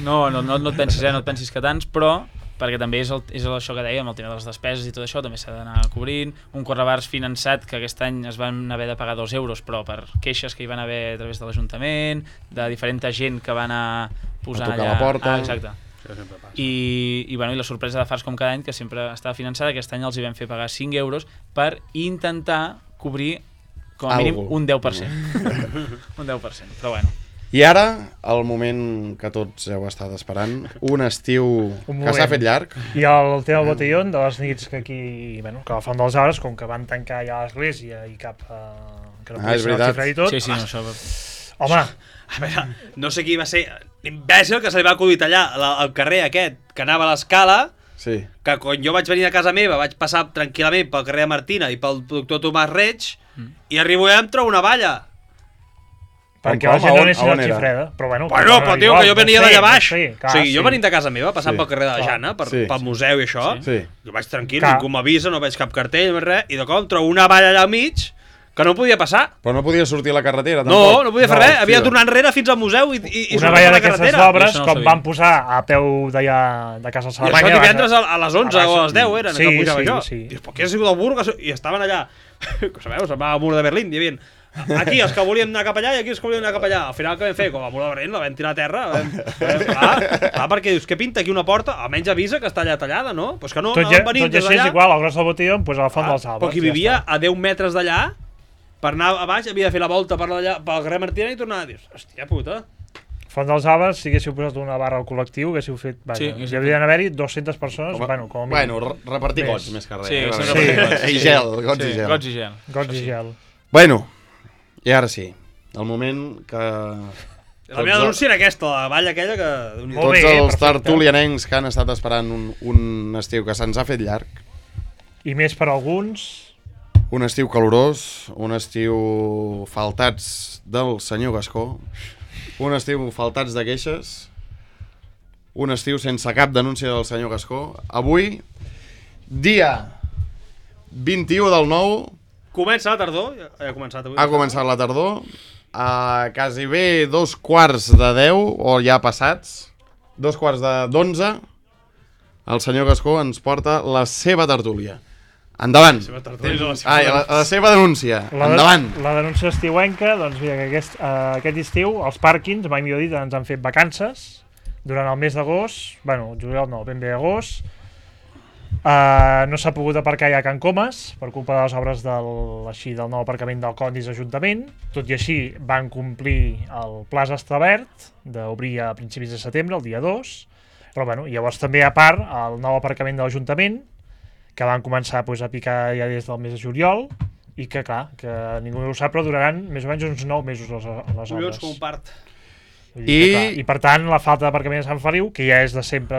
No et pensis, no et pensis que tants, però perquè també és això que dèiem, el tema de les despeses i tot això, també s'ha d'anar cobrint. Un correbars finançat que aquest any es van haver de pagar 2 euros, però per queixes que hi van haver a través de l'Ajuntament, de diferent gent que va anar posant a tocar allà... la porta. Exacte. I la sorpresa de Fars com cada any, que sempre estava finançada, aquest any els hi vam fer pagar 5 euros per intentar cobrir com a mínim un 10%. Un 10%, però bueno. I ara, el moment que tots heu estat esperant, un estiu que s'ha fet llarg. I el tema del botellón, de les nits que aquí, bueno, que a la Font dels Arbres, com que van tancar ja l'església i cap... que no és veritat. Xifra i tot. Sí, no, això... Home, A veure, no sé qui va ser l'imbècil que se li va acudir tallar al carrer aquest, que anava a l'escala, Sí. que quan jo vaig venir a casa meva vaig passar tranquil·lament pel carrer de Martina i pel doctor Tomàs Reig, i arribo i em trobo una valla. perquè la gent no anessin al Xifreda, però bueno... Però tio, que jo venia d'allà baix. Clar, O sigui, jo venint de casa meva, passant Sí. pel carrer de la Clar. Jana, Sí. pel museu i això, Sí. jo vaig tranquil, Clar. ningú m'avisa, no veig cap cartell, no veig res, i de cop trobo una valla allà al mig que no podia passar. Però no podia sortir a la carretera, No, tampoc. no podia fer res, havia de tornar enrere fins al museu i una sortir valla per la d'aquestes carretera. obres, Això no ho com sabia. van posar a peu d'allà de Casa I Salamanya... això divendres a les 11 o a les 10 eren, Sí, que pujava sí, jo. sí. Dius, però què ha sigut el burro? I estaven allà, que sabeu, se'n va al mur de Berlín, hi havia aquí els que volíem anar cap allà i aquí els que volíem anar cap allà. Al final què vam fer? Com el mur de Berlín la vam tirar a terra. Clar, perquè dius, què pinta aquí una porta? Almenys avisa que està allà tallada, no? Doncs que no, Tot no i van venir així és igual, al gros del botellón, doncs a la Font dels Arbres. Però qui vivia a 10 metres d'allà, per anar a baix havia de fer la volta per carrer Martina i tornar. Dius, hòstia puta. Font dels Arbres, si haguéssiu posat una barra al col·lectiu, haguéssiu fet... Sí, Hi haurien d'haver-hi 200 persones, bueno, com a mínim. Bueno, repartir Més. gots, més que res. Sí, eh? sí, Perquè- I gel, gots i gel. Gots i gel. Gots i gel. Bueno, i ara sí, el moment que... La meva denúncia era aquesta, la valla aquella que... Molt Tots bé, els perfecte. tertulianencs que han estat esperant un estiu que se'ns ha fet llarg, I més per alguns... un estiu calorós, un estiu faltats del senyor Gascó, un estiu faltats de queixes, un estiu sense cap denúncia del senyor Gascó. Avui, dia 21 del 9, Comença la tardor, ja ha començat avui. ha començat la tardor, a quasi bé 2:45, o ja passats, 2:45, el senyor Gascó ens porta la seva tertúlia. Endavant. La seva denúncia. Endavant. La denúncia estiuenca, doncs mira, que aquest estiu els pàrquings, mai millor dit, ens han fet vacances durant el mes d'agost, bueno, juliol no, ben bé agost, No s'ha pogut aparcar ja a Can Comas per culpa de les obres del nou aparcament del Condis Ajuntament. Tot i així van complir el plaç establert d'obrir a principis de setembre, el dia 2. Però bueno, llavors també a part el nou aparcament de l'Ajuntament, que van començar a picar ja des del mes de juliol, i que clar, que ningú no ho sap, però duraran més o menys uns 9 mesos les obres. Collons com un part. I per tant la falta d'aparcament a Sant Feliu, que ja és de sempre...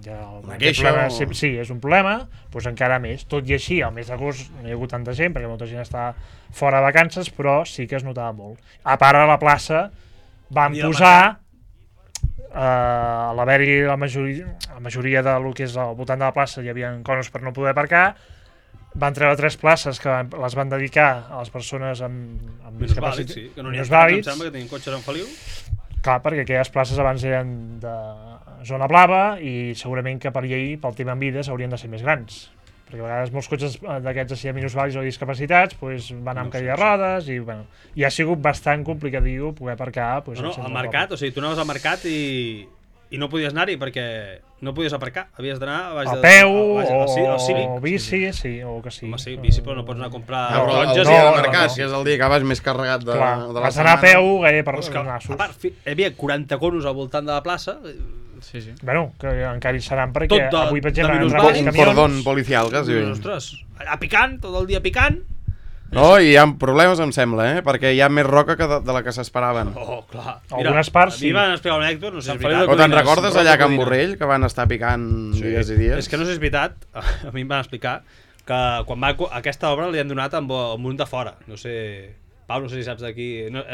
Una queixa sí, és un problema, doncs encara més. Tot i així, al mes d'agost no hi ha hagut tanta gent, perquè molta gent està fora de vacances, però sí que es notava molt. A part, a la plaça van posar, a l'haver-hi la majoria del que és al voltant de la plaça hi havia conos per no poder aparcar, van treure 3 places que les van dedicar a les persones amb minusvàlids, sí, que no n'hi ha minusvàlids. em sembla que tenien cotxes en Feliu. Clar, perquè aquelles places abans eren de zona blava i segurament que per llei, pel tema en vides, haurien de ser més grans. Perquè a vegades molts cotxes d'aquests així minusvàlids o discapacitats van amb cadira de rodes i bueno, i ha sigut bastant complicat poder aparcar. Al mercat, o sigui, tu anaves al mercat i no podies anar-hi perquè no podies aparcar, havies d'anar a peu o bici, sí, o que sí. Home, sí, bici, però no pots anar a comprar taronges i al mercat, que és el dia que vas més carregat de la setmana. Vas anar a peu gairebé per nassos. A part, hi havia 40 conos al voltant de la plaça. Sí. Bueno, que encara hi seran perquè avui, per exemple, han entrat un cordón policial, quasi. Ostres, allà picant, tot el dia picant. No, i hi ha problemes, em sembla, perquè hi ha més roca que de la que s'esperaven. Oh, clar. Algunes parts sí. A mi van explicar un anècdota, no sé si és veritat. Però te'n recordes allà a Can Borrell, que van estar picant dies i dies? És que no sé si és veritat, a mi em van explicar que quan aquesta obra li han donat amb un de fora, no sé... Pau, no sé si saps d'aquí...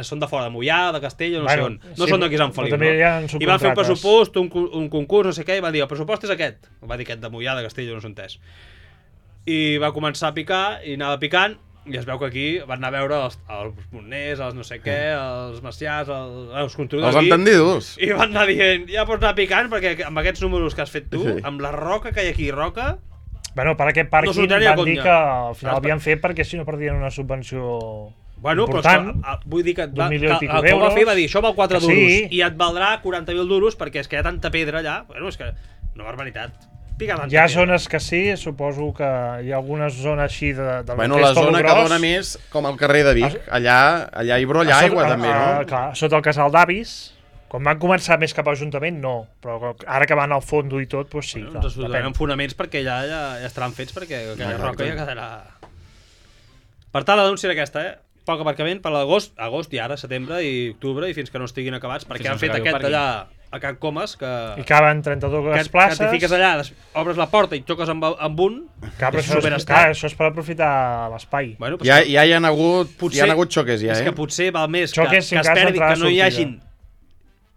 Són de fora, de Mollà, de Castell, no sé on. No són d'aquí Sant Feliu, no? I van fer un pressupost, un concurs, no sé què, i van dir, el pressupost és aquest. Va dir aquest de Mollà, de Castell, no s'ho entès. I va començar a picar, i anava picant, i es veu que aquí van anar a veure els Montners, els no sé què, els Maciàs, els constructors els entendidos. I van anar dient, ja pots anar picant, perquè amb aquests números que has fet tu, amb la roca que hi ha aquí, roca... Bueno, per aquest pàrquing van dir que al final havien fet perquè si no perdien una subvenció... Bueno, important, però vull dir que el que ho va fer va dir, això val 4 duros i et valdrà 40.000 duros perquè és que hi ha tanta pedra allà. Bueno, és que una barbaritat. Hi ha zones que sí, suposo que hi ha algunes zones així de bueno, la zona que dona més com el carrer de Vic. Allà hi brolla aigua també, no? Clar, sota el casal d'Avis. Quan van començar més cap a l'Ajuntament, no. Però ara que van al fondo i tot, doncs sí. Ens donaran fonaments perquè ja estaran fets perquè aquella roca ja quedarà... Per tant, la denúncia era aquesta, poc aparcament per l'agost i ara, setembre i octubre i fins que no estiguin acabats perquè han fet aquest allà a Can Comas que... I caben 32 places. Que t'hi fiques allà, obres la porta i xoques amb un... Clar, això és per aprofitar l'espai. Bueno, ja hi ha hagut xoques ja, És que potser val més que es perdi, que no hi hagin...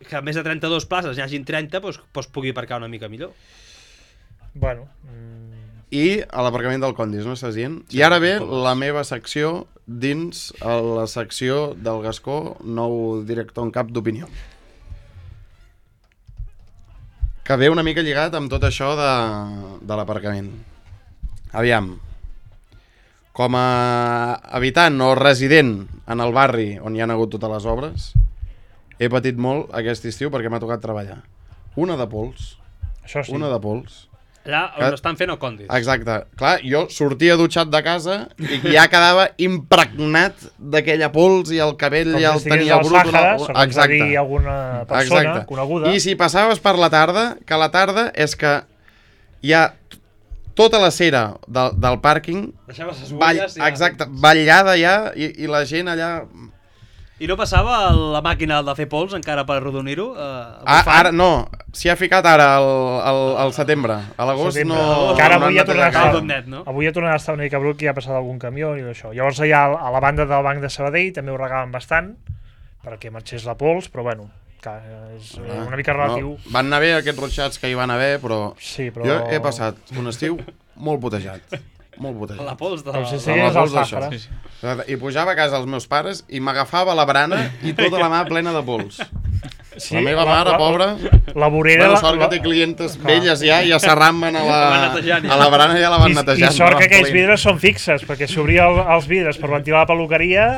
Que a més de 32 places hi hagin 30, doncs pugui aparcar una mica millor. Bueno... I a l'aparcament del Condis, no estàs dient? I ara ve la meva secció dins la secció del Gascó, nou director en cap d'opinió. Que ve una mica lligat amb tot això de l'aparcament. Aviam. Com a habitant o resident en el barri on hi ha hagut totes les obres, he patit molt aquest estiu perquè m'ha tocat treballar. Una de pols. Això sí. Una de pols. Allà on estan fent el Condis. Exacte. Clar, jo sortia dutxat de casa i ja quedava impregnat d'aquella pols i el cabell ja el tenia brut. Exacte. Alguna persona coneguda. I si passaves per la tarda, que la tarda és que hi ha tota la cera del pàrquing ballada ja i la gent allà... I no passava la màquina de fer pols encara per arrodonir-ho? Ara no, s'hi ha ficat ara al setembre. A l'agost no... Que ara avui ja tornarà a estar una mica brut que hi ha passat algun camió i això. Llavors allà a la banda del Banc de Sabadell també ho regaven bastant perquè marxés la pols, però bueno, és una mica relatiu. No, van anar bé aquests rotxats que hi van haver, però jo he passat un estiu molt putejat. Molt putejat. La pols de... I pujava a casa dels meus pares i m'agafava la brana i tota la mà plena de pols. Sí, la meva mare, pobra, la vorera... Bueno, sort que té clientes velles ja s'arramben a la brana i ja la van netejant. I sort que aquells vidres són fixes, perquè si obria els vidres per ventilar la peluqueria,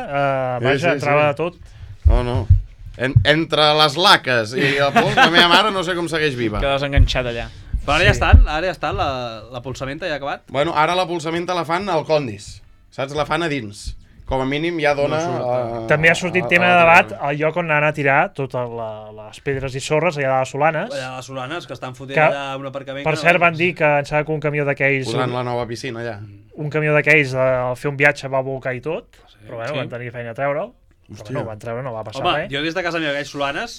entrava de tot. No. Entre les laques i la pols, la meva mare no sé com segueix viva. Quedes enganxat allà. Però ara ja estan, la polsamenta ja ha acabat. Bueno, ara la polsamenta la fan al Condis, saps? La fan a dins. Com a mínim ja dona... També ha sortit tema de debat al lloc on anat a tirar totes les pedres i sorres allà de les Solanes. Allà les Solanes, que estan fotent Que, allà un aparcament... Per cert, van dir que em sembla que un camió d'aquells... Posant la nova piscina allà. Un camió d'aquells al fer un viatge va volcar i tot, però bueno, van tenir feina a treure'l. Però no, van treure, no va passar Home, res. jo des de casa meva, aquells Solanes,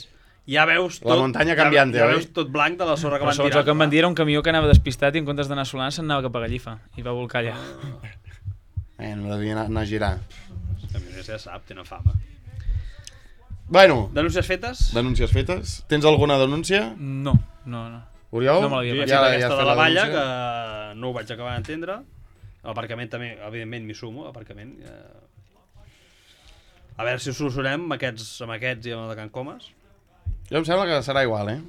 ja veus tot... La muntanya canviante, ja oi? veus tot blanc de la sorra que Però van segons tirar. el que em van dir era un camió que anava despistat i en comptes d'anar a Solana se'n anava cap a Gallifa i va volcar allà. No devia anar a girar. Ja sap, tenen fama. Bueno, Denúncies fetes? denúncies fetes. Tens alguna denúncia? No. Oriol? No me l'havia Jo ja he pensat. fet aquesta has de fet la valla, denúncia? que no ho vaig acabar d'entendre. L'aparcament també, evidentment, m'hi sumo, l'aparcament. A veure si ho solucionem amb aquests i amb el de Can Comas. Jo em sembla que serà igual, eh?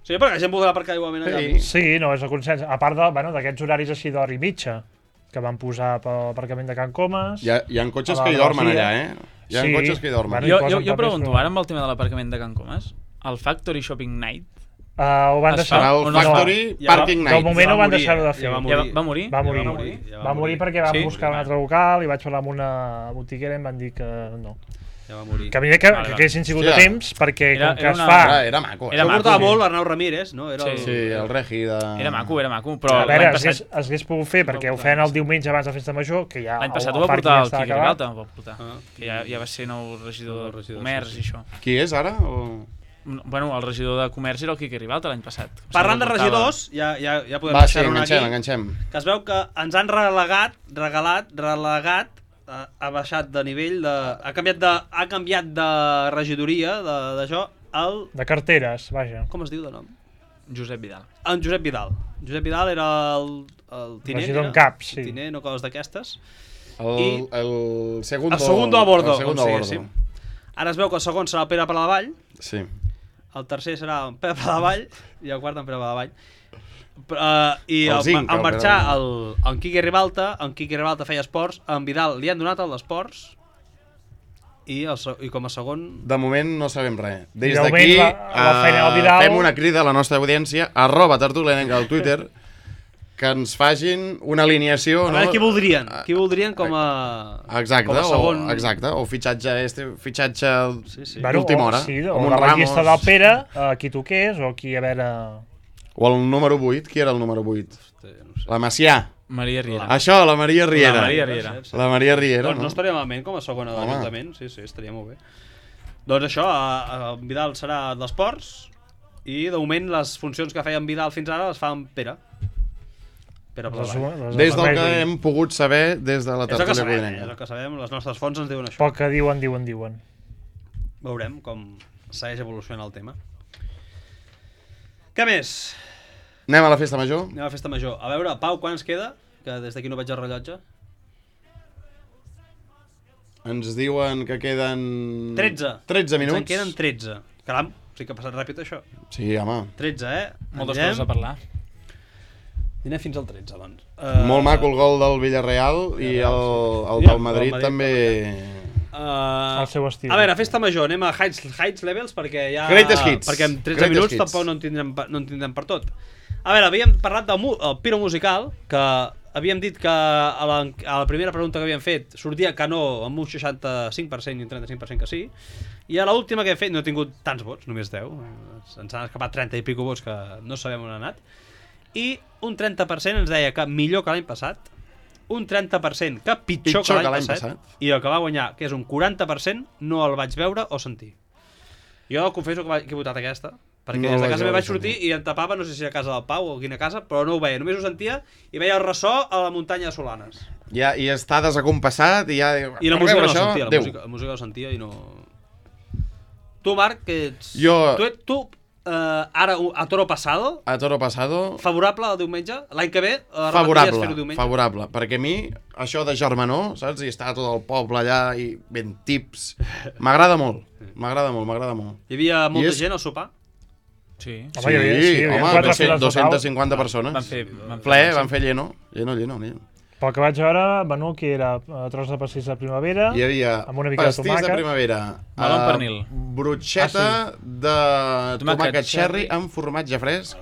Sí, perquè la gent voldrà aparcar igualment allà. Sí. Sí, no, és el consens. A part d'aquests horaris així d'hora i mitja, que van posar per l'aparcament de Can Comas... Hi ha cotxes A la que hi dormen Garcia. allà, eh? Hi ha Sí. cotxes que hi dormen. Bueno, Jo, posen jo papers, pregunto, però- ara amb el tema de l'aparcament de Can Comas, el Factory Shopping Night Ho van Es deixar... Serà o el no es fa? Factory Ja va- Parking De Night. moment ho van morir, deixar de fer. ja va ja morir. va morir? Va morir. Ja Va morir perquè van Sí? buscar un altre local i vaig parlar amb una botiguera i em van dir que no. Ja va morir. Que mira que Vale. haguessin sigut Hòstia. a temps, perquè Era- com que era es una- fa... Era maco. Era Això maco, portava sí. molt l'Arnau Ramírez, no? Era Sí. Sí, el regi de... Era maco, però A veure, l'any es passat, hagués pogut fer perquè ho feien el diumenge abans de Festa Major, que ja l'any passat el ho va pàrquing portar el estava Quique acabat. Ribalta, ho va portar, que ja va ser nou regidor de Comerç sí, i això. Qui és ara? O... Bueno, el regidor de Comerç era el Quique Ribalta l'any passat. Parlant de Em sembla que portava- regidors, ja podem Va, sí, deixar-ho aquí. enganxem. Que es veu que ens han relegat, ha baixat de nivell, ha canviat de regidoria, d'això, De carteres, vaja. com es diu de nom? Josep Vidal. En Josep Vidal. Josep Vidal era el tinent. Regidor era? en cap, sí. El tinent o coses d'aquestes. El segundo... El segundo a bordo, El segundo com a bordo. diguéssim. Ara es veu que el segon serà el Pere Paladavall, Sí. el tercer serà en Pere Paladavall i el quart en Pere Paladavall. I El zinc, al el marxar Pere en Quique Ribalta, feia esports, en Vidal li han donat el d'esports i com a segon... De moment no sabem res. Des de moment d'aquí la feina del Vidal- fem una crida a la nostra audiència, @tertulianenca al Twitter, que ens facin una alineació... A veure, no? qui voldrien? Qui voldrien com a... Exacte, com a segon... o fitxatge Sí. d'última hora. Sí, com o un de la Ramos. llista del Pere, qui toqués, o qui a veure... O el número 8, qui era el número 8? No sé. La Macià. Maria Riera. Això, la Maria Riera. La Maria Riera. La Maria Riera, Doncs no no? estaria malament com a segona de Home. l'Ajuntament. Sí, estaria molt bé. Doncs això, en Vidal serà d'esports i de moment les funcions que feia en Vidal fins ara les fa en Pere. Pere Paladavall. Des del que hem pogut saber des de la És el que tertúlia sabem, codinenca. és el que sabem, les nostres fonts ens diuen això. Poc que diuen. Veurem com segueix evolucionant el tema. Què més? Anem a la festa major? Anem a la festa major. A veure, Pau, quan ens queda? Que des d'aquí no veig el rellotge. Ens diuen que queden... 13. 13 minuts. Ens en queden 13. Caram, sí que ha passat ràpid això. Sí, home. 13, Moltes Anirem- coses a parlar. Anem fins al 13, doncs. Molt maco el gol del Villarreal i el I del Madrid el Madrid també... El seu estil. A veure, festa major, anem a heights levels perquè ja... Greatest hits. Perquè en 13 Greatest minuts hits. tampoc no en tindrem per tot. A veure, havíem parlat del el Piro Musical, que havíem dit que a la primera pregunta que havíem fet sortia que no amb un 65% i un 35% que sí, i a l'última que hem fet no he tingut tants vots, només 10, ens han escapat 30 i pico vots que no sabem on han anat, i un 30% ens deia que millor que l'any passat, un 30% que pitjor que l'any passat, i el que va guanyar, que és un 40%, no el vaig veure o sentir. Jo confesso que he votat aquesta, perquè No des de vaig casa meva veure vaig sortir i em tapava, no sé si a casa del Pau o a quina casa, però no ho veia, només ho sentia i veia el ressò a la muntanya de Solanes. Ja, i està desacompassat i ja... I la per música veure no la això, sentia, adéu. la música la sentia i no... Tu, Marc, que ets... Jo- Tu ara, a Toro Pasado, A Toro Pasado, favorable al diumenge? L'any que ve, repetiries favorable, fer-ho diumenge? favorable. Perquè a mi, això de germanor, saps? I està tot el poble allà i ben tips. M'agrada molt, m'agrada molt, m'agrada molt. Hi havia molta és- gent al sopar? Sí. Home, hi havia home, quatre files total. 250 persones. Van fer Ple, van fer lleno. Pel que vaig veure, menú que era tros de pastís de primavera, Hi havia amb una mica de pastís de tomàquet. primavera, Meló amb pernil. brotxeta de Tomàquet tomàquet cherry cherry amb formatge fresc,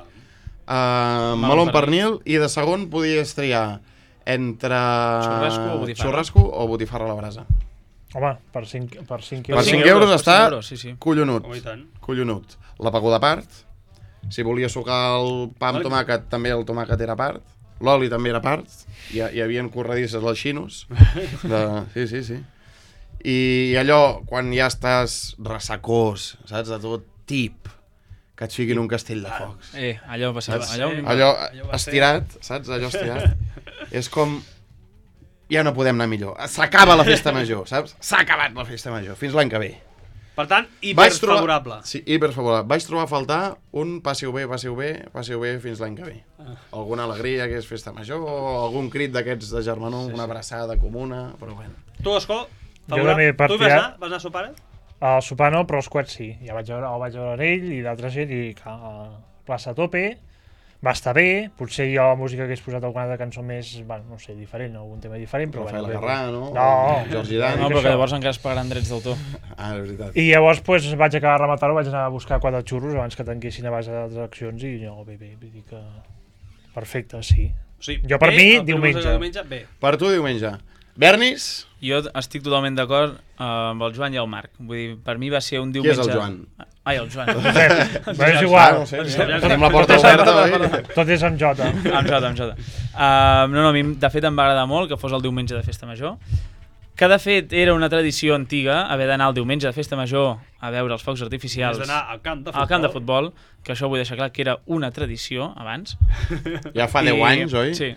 meló amb pernil, i de segon podies triar entre xurrasco o botifarra a la brasa. Home, per 5 Per euros. 5 euros està sí. collonut. Home, i tant. Collonut. La paguda a part. Si volia sucar el pa amb tomàquet, també el tomàquet era a part. L'oli també era a part. Hi havia corredisses als xinos. Sí. I allò, quan ja estàs ressacós, saps, de tot tip, que et fiquin un castell de focs. Allò va ser... Sí. Allò estirat, saps? Allò estirat. És com... Ja no podem anar millor. S'acaba la festa major, saps? S'ha acabat la festa major. Fins l'any que ve. Per tant, hiperfavorable. Sí, hiperfavorable. Vaig trobar a faltar un passeu bé fins l'any que ve. Alguna alegria que és festa major, o algun crit d'aquests de germanor, una abraçada comuna, però bueno. Tu, Escó, Jo també per tu tirar- vas anar a sopar? Al sopar no, però els coets sí. Ja el vaig veure ell i d'altra gent i clar, a plaça a tope. Va estar bé, potser jo la música que hagués posat alguna altra cançó més, bueno, no sé, diferent, algun tema diferent, però Rafael bé. Agarrà, no? No. Jordi Dan. No, però que això. llavors encara es pagaran drets d'autor. Ah, és veritat. I llavors pues, vaig acabar de rematar-ho, vaig anar a buscar 4 xurros abans que tanquessin a base d'altres accions i no, bé, vull dir que... Perfecte, sí. Sí. Jo per mi, diumenge. Bé. Per tu, diumenge. Bernis? Jo estic totalment d'acord amb el Joan i el Marc. Vull dir, per mi va ser un Qui diumenge... és el Joan? Ai, el Joan. Però és igual, No sé, tenim la porta oberta, oi? tot és amb Jota. Amb Jota. No, a mi de fet em va agradar molt que fos el diumenge de festa major, que de fet era una tradició antiga haver d'anar el diumenge de festa major a veure els focs artificials Has d'anar al camp de futbol. al camp de futbol, que això vull deixar clar que era una tradició abans. Ja fa 10 anys, oi? Sí.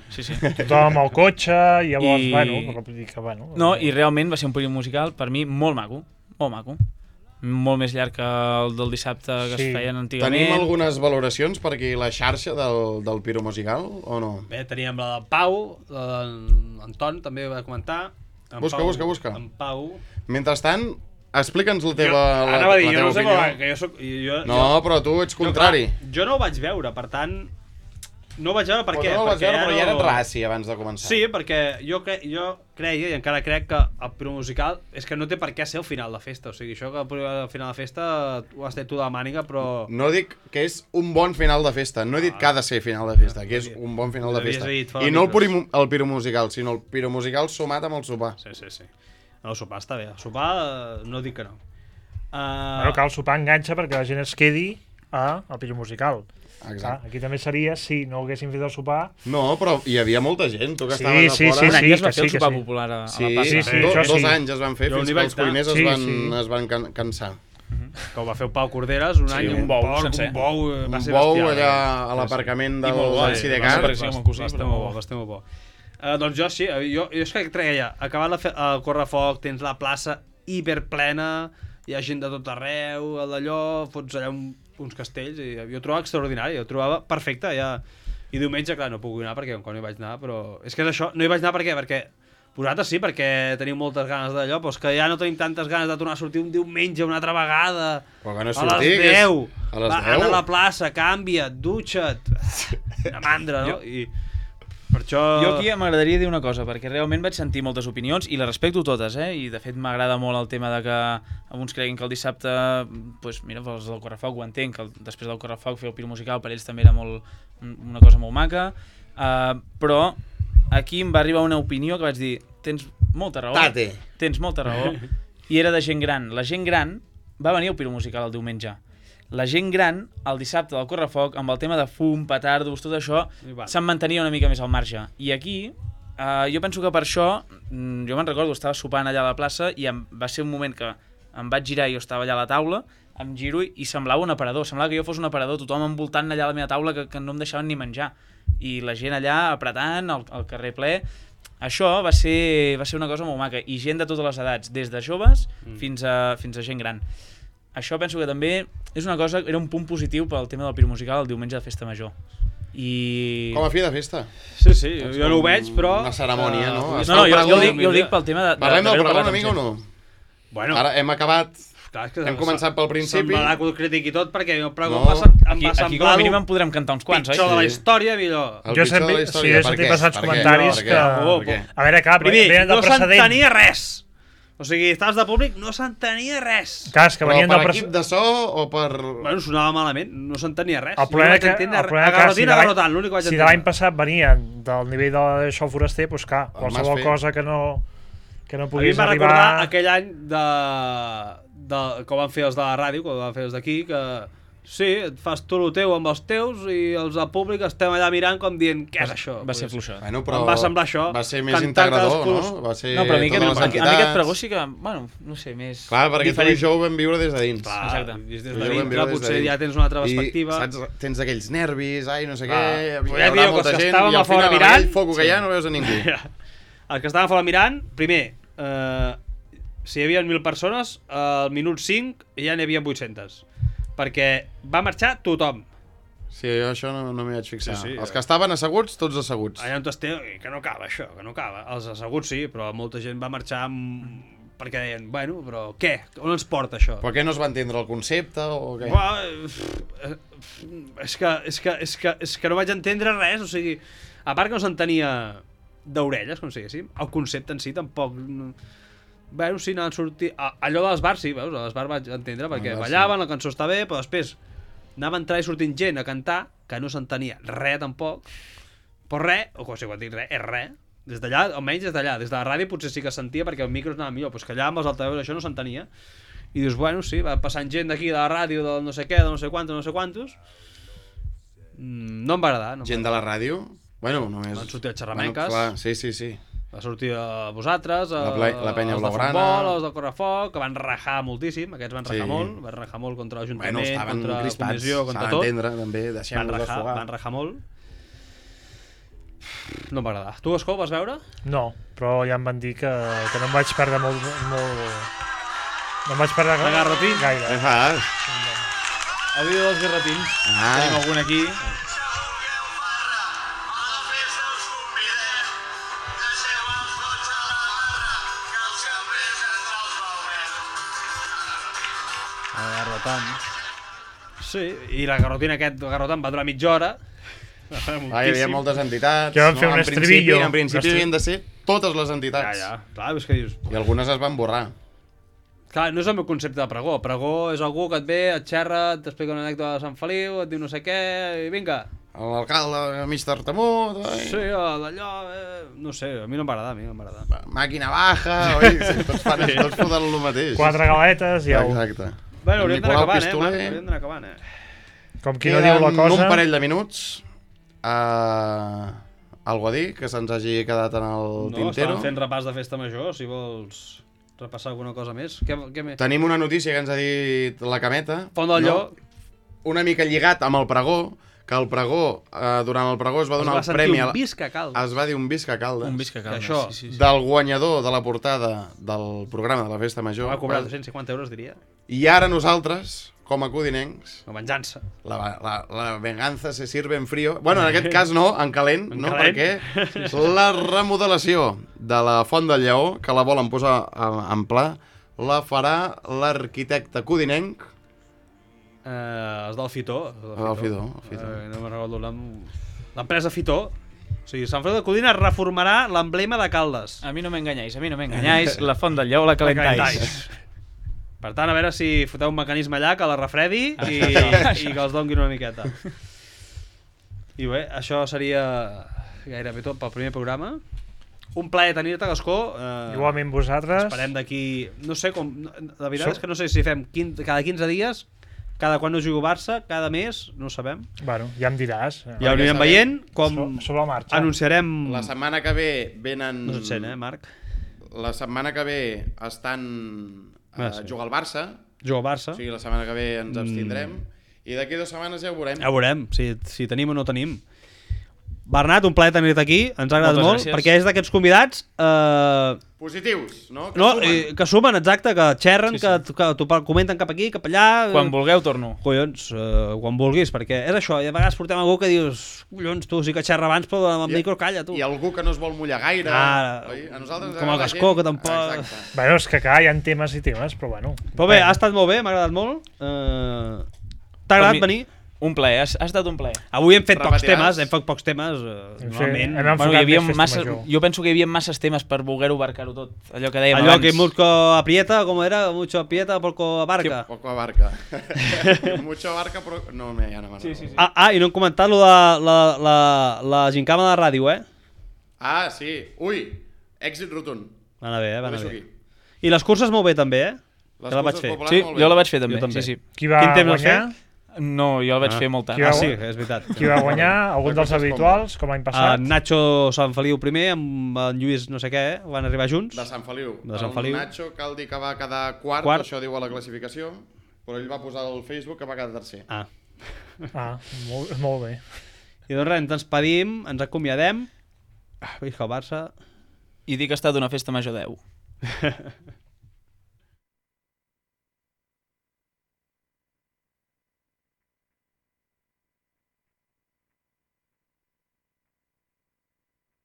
Tothom amb el cotxe, i llavors, I- bueno, però vull dir que, bueno... No, i realment va ser un període musical per mi molt maco, molt més llarg que el del dissabte que Sí. es feien antigament. Tenim algunes valoracions per aquí la xarxa del Piro Musical, o no? Bé, teníem la del Pau, l'Anton també va comentar. En Busca, Pau, busca. En Pau... Mentrestant, explica'ns la teva, Anava a dir, la jo teva no sé opinió. com, que jo soc... No, però tu ets contrari. Jo no ho vaig veure, per tant... No ho vaig veure per Però què? no el vaig Perquè veure, però ja no- eres raci abans de començar. Sí, perquè jo creia, i encara crec, que el Piro Musical és que no té per què ser el final de festa. O sigui, això que al final de festa ho has tret tu de la màniga, però... No dic que és un bon final de festa, no he dit que ha de ser final de festa, que és un bon final de Havies festa. dit fa I no micros. el Piro Musical, sinó el Piro Musical sumat amb el sopar. Sí. El sopar està bé. El sopar no dic que no. Bueno, cal sopar enganxa perquè la gent es quedi al Piro Musical. Exacte. Clar, aquí també seria si no haguessin fet el sopar. No, però hi havia molta gent, tu que Sí, estaves sí, a fora. Un any es va que fer el sí, que sopar sí. popular a Sí, la plaça. sí, sí, dos això sí. anys es van fer Jo fins n'hi que vaig els cuiners anar. es van cansar. Que ho va fer el Pau Corderes un any, un bou sencer. Un bou, va Un ser bou bestial, allà eh? a l'aparcament I molt bo, del Sidecar. va ser perquè sí, amb el cosí, Va estar però molt bo, va estar molt bo. Doncs jo sí, jo és que treia, acabat el correfoc, tens la plaça hiperplena, hi ha gent de tot arreu, d'allò, fots allà uns castells, i jo ho trobava extraordinari, ho trobava perfecte, ja. I diumenge, clar, no puc anar perquè encara no hi vaig anar, però... És que és això, no hi vaig anar per què? Perquè vosaltres sí, perquè teniu moltes ganes d'allò, però és que ja no tenim tantes ganes de tornar a sortir un diumenge una altra vegada. Però que no A sortir, les que és- 10. a les Va, 10. Anar a la plaça, canvia't, dutxa't. Una mandra, no? I per això... Jo aquí m'agradaria dir una cosa, perquè realment vaig sentir moltes opinions i les respecto totes, i de fet m'agrada molt el tema de que alguns creguin que el dissabte, doncs mira, els del Correfoc ho entenc, que després del Correfoc fer el Piro Musical per ells també era una cosa molt maca, però aquí em va arribar una opinió que vaig dir, tens molta raó, Tate. tens molta raó, i era de gent gran. La gent gran va venir al Piro Musical el diumenge. La gent gran, el dissabte del Correfoc, amb el tema de fum, petardos, tot això, se'n mantenia una mica més al marge. I aquí, jo penso que per això, jo me'n recordo, estava sopant allà a la plaça i va ser un moment que em vaig girar i jo estava allà a la taula, em giro i semblava un aparador, semblava que jo fos un aparador, tothom envoltant allà a la meva taula que no em deixaven ni menjar. I la gent allà apretant, el carrer ple... Això va ser una cosa molt maca. I gent de totes les edats, des de joves fins a gent gran. Això penso que també és una cosa, era un punt positiu pel tema del Piro Musical el diumenge de Festa Major. I... Com a fi de festa. Sí, jo no ho veig, però... Una cerimònia, no? No, jo ho dic pel tema de... Parlem del d'haver-ho programa parlat una mica o amb gent. no? Bueno, Ara hem acabat, clar, és que hem començat pel principi. Se'm va anar el crític i tot, perquè el pregó No. Aquí com a mínim en podrem cantar uns quants, pitjor de la oi? història, millor. El Jo pitjor de sempre- la història. sí, he Per sentit què? bastants Per què? comentaris Per què? que- Per què? A veure, clar, Primer, venen de no precedent. s'entenia res. O sigui, estaves de públic, no s'entenia res. Clar, és que Però venien per del equip de so o per... Bueno, sonava malament, no s'entenia res. El problema que, Garrotina, l'únic que vaig si de entendre. l'any passat venien del nivell de show foraster, doncs clar, El qualsevol Mas Fer. cosa que no A mi em puguis va arribar... recordar aquell any que ho van fer els de la ràdio, que ho van fer els d'aquí, que sí, et fas tu el teu amb els teus i els del públic estem allà mirant com dient què és això. Va ser fluixot. Bueno, però Em va semblar això. Va ser més Cantar integrador, cadascú- no? Va ser No, però a mi totes les aquest entitats. pregó sí que, bueno, no sé, més... Clar, perquè tu i diferent. jo ho vam viure des de dins. Clar, Exacte. vist des Jo de ho vam dintre, viure des de potser dins. ja tens una altra perspectiva. I, saps, tens aquells nervis, ai, no sé Clar. què, Però hi ja haurà dieu que molta els que gent, estàvem i a al fora final, amb mirant- aquell foc que hi ha, no veus a ningú. Els que estàvem fora mirant, primer, si hi havia 1.000 persones, al minut 5 ja n'hi havia 800. Perquè va marxar tothom. Sí, jo això no m'hi vaig fixar. Sí, sí, Els que estaven asseguts, tots asseguts. Allà on esteu, que no acaba això, que no acaba. Els asseguts sí, però molta gent va marxar perquè deien, bueno, però què? On ens porta això? Però què no es va entendre el concepte o què? És que no vaig entendre res, o sigui, a part que no s'entenia d'orelles, com si diguéssim, el concepte en si tampoc... Bueno, sí, anaven sortir... Allò dels bars, sí, veus, als bars vaig entendre, perquè bar, ballaven, la cançó està bé, però després anava a entrar i sortint gent a cantar, que no s'entenia res tampoc, però res, o sigui, quan dic res, és res, des d'allà, almenys des d'allà, des de la ràdio potser sí que sentia perquè el micro anava millor, però és que allà amb els altaveus això no s'entenia, i dius, bueno, sí, va passant gent d'aquí, de la ràdio, del no sé què, de no sé quantos, no em va agradar. Gent de la ràdio? Bueno, només... Van sortir els xerramenques. Bueno, clar, sí. Va sortir a vosaltres, La penya els de blaugrana. futbol, els de correfoc, que van rajar moltíssim, aquests van rajar Sí. molt, van rajar molt contra Bueno, l'Ajuntament, estaven contra la crispats, comissió, s'ha contra tot. d'entendre, també, Van deixem-ho desfogar. rajar molt. No em va agradar. Tu, Escó, vas veure? No, però ja em van dir que no em vaig perdre molt... No em vaig perdre La Garrotín? Què gaire. fas? El vídeo dels garratins. Ah. Tenim algun aquí. El Garrotan. Sí, i la Garrotina aquest, el Garrotan va durar mitja hora. Ah, hi havia moltes entitats. Que van fer un En principi- estribillo. En principi havien de ser totes les entitats. Ja. Clar, és que dius... I algunes es van borrar. Clar, no és el meu concepte de pregó. Pregó és algú que et ve, et xerra, t'explica una anècdota de Sant Feliu, et diu no sé què, i vinga. L'alcalde mig tartamut, Sí, d'allò... No sé, a mi no m'agrada, màquina baja, oi? Sí, tots foten el mateix. 4 galetes i au. Exacte. Bueno, El hauríem d'anar Nicolau acabant, Pistoler. Marc? Hauríem d'anar acabant, Com qui no diu la Queden cosa... un parell de minuts. Algo a dir que se'ns hagi quedat en el No, tintero. estàvem fent repàs de festa major, si vols repassar alguna cosa més. Què més? Tenim una notícia que ens ha dit la Cameta. Font del Lleó. Una mica lligat amb el pregó, que el pregó, durant el pregó es va Es donar va el sentir premi... un visca calç. Es va dir un visca Caldes. Un visca calma. això, Sí. Del guanyador de la portada del programa de la Festa Major. Va cobrar 250 euros, diria. I ara nosaltres, com a codinencs, Una venjança. la venganza se sirve en frío. Bueno, en aquest cas no, en calent, En no? calent. Perquè la remodelació de la Font del Lleó, que la volen posar en pla, la farà l'arquitecte codinenc. Els del Fitó. El Fitó. No me'n recordo el nom. L'empresa Fitó. O sigui, Sant Feliu de Codina reformarà l'emblema de Caldes. A mi no m'enganyais, la font del Lleó la calentais. Per tant, a veure si foteu un mecanisme allà que la refredi i que els donguin una miqueta. I bé, això seria gairebé tot pel primer programa. Un plaer tenir-te, Gascó. Igualment vosaltres. Esperem d'aquí... No sé com... La veritat és que no sé si fem cada 15 dies, cada quan no jugo Barça, cada mes, no ho sabem. Bueno, ja em diràs. Ja ho anirem veient com Sobre la marxa. anunciarem... La setmana que ve venen... No se't sent, Marc? La setmana que ve estan a Sí. jugar al Barça, Jugo al Barça. o sigui, la setmana que ve ens abstindrem, i d'aquí 2 setmanes ja ho veurem. Ja ho veurem, si tenim o no tenim. Bernat, un plaer tenir-te aquí, ens ha agradat Moltes molt, gràcies. perquè és d'aquests convidats Positius, no? Que no, sumen. que sumen, exacte, que xerren, Sí, sí. que t'ho comenten cap aquí, cap allà... Quan vulgueu torno. Collons, quan vulguis, perquè és això, i a vegades portem algú que dius, collons, tu sí que xerra abans, però amb el micro calla, tu. I algú que no es vol mullar gaire. Ara, oi? A nosaltres ens com el agrada Gascó, gent- que tampoc- Exacte. Bueno, és que clar, hi ha temes i temes, però bueno. Però bé, ha estat molt bé, m'ha agradat molt. T'ha Per agradat mi- venir? Un plaer, ha estat un plaer. Avui hem fet pocs Repetiràs? temes, normalment. Hem Bueno, enfocat hi havia més festa massa, major. jo penso que hi havia masses temes per voler-ho abarcar-ho tot. Allò que dèiem Allò abans. que mucho aprieta, com era? Mucho aprieta, poco abarca. Poco abarca. Mucho abarca, però... No, ja no Sí, sí, sí. I no hem comentat lo de la gincama de ràdio, Ah, sí. Ui, èxit rotund. Va anar bé, va Ho anar deixo bé. aquí. I les curses molt bé, també, Les Que la vaig curses fer. populars, Sí, molt bé. jo la vaig fer també. Jo també. Sí, sí. Qui va Quin temps vas guanyar? No, jo la vaig fer molt tard. Qui va- sí, és veritat. Qui va guanyar? Algun dels curses habituals, com l'any passat? Nacho Sant Feliu primer, amb en Lluís no sé què, van arribar junts. De Sant Feliu. De Sant Feliu. El Nacho cal dir que va quedar quart, això diu a la classificació, però ell va posar al Facebook que va quedar tercer. Ah. Molt bé. I doncs res, ens despedim, ens acomiadem. Visca el Barça. I dic que ha estat una festa major 10.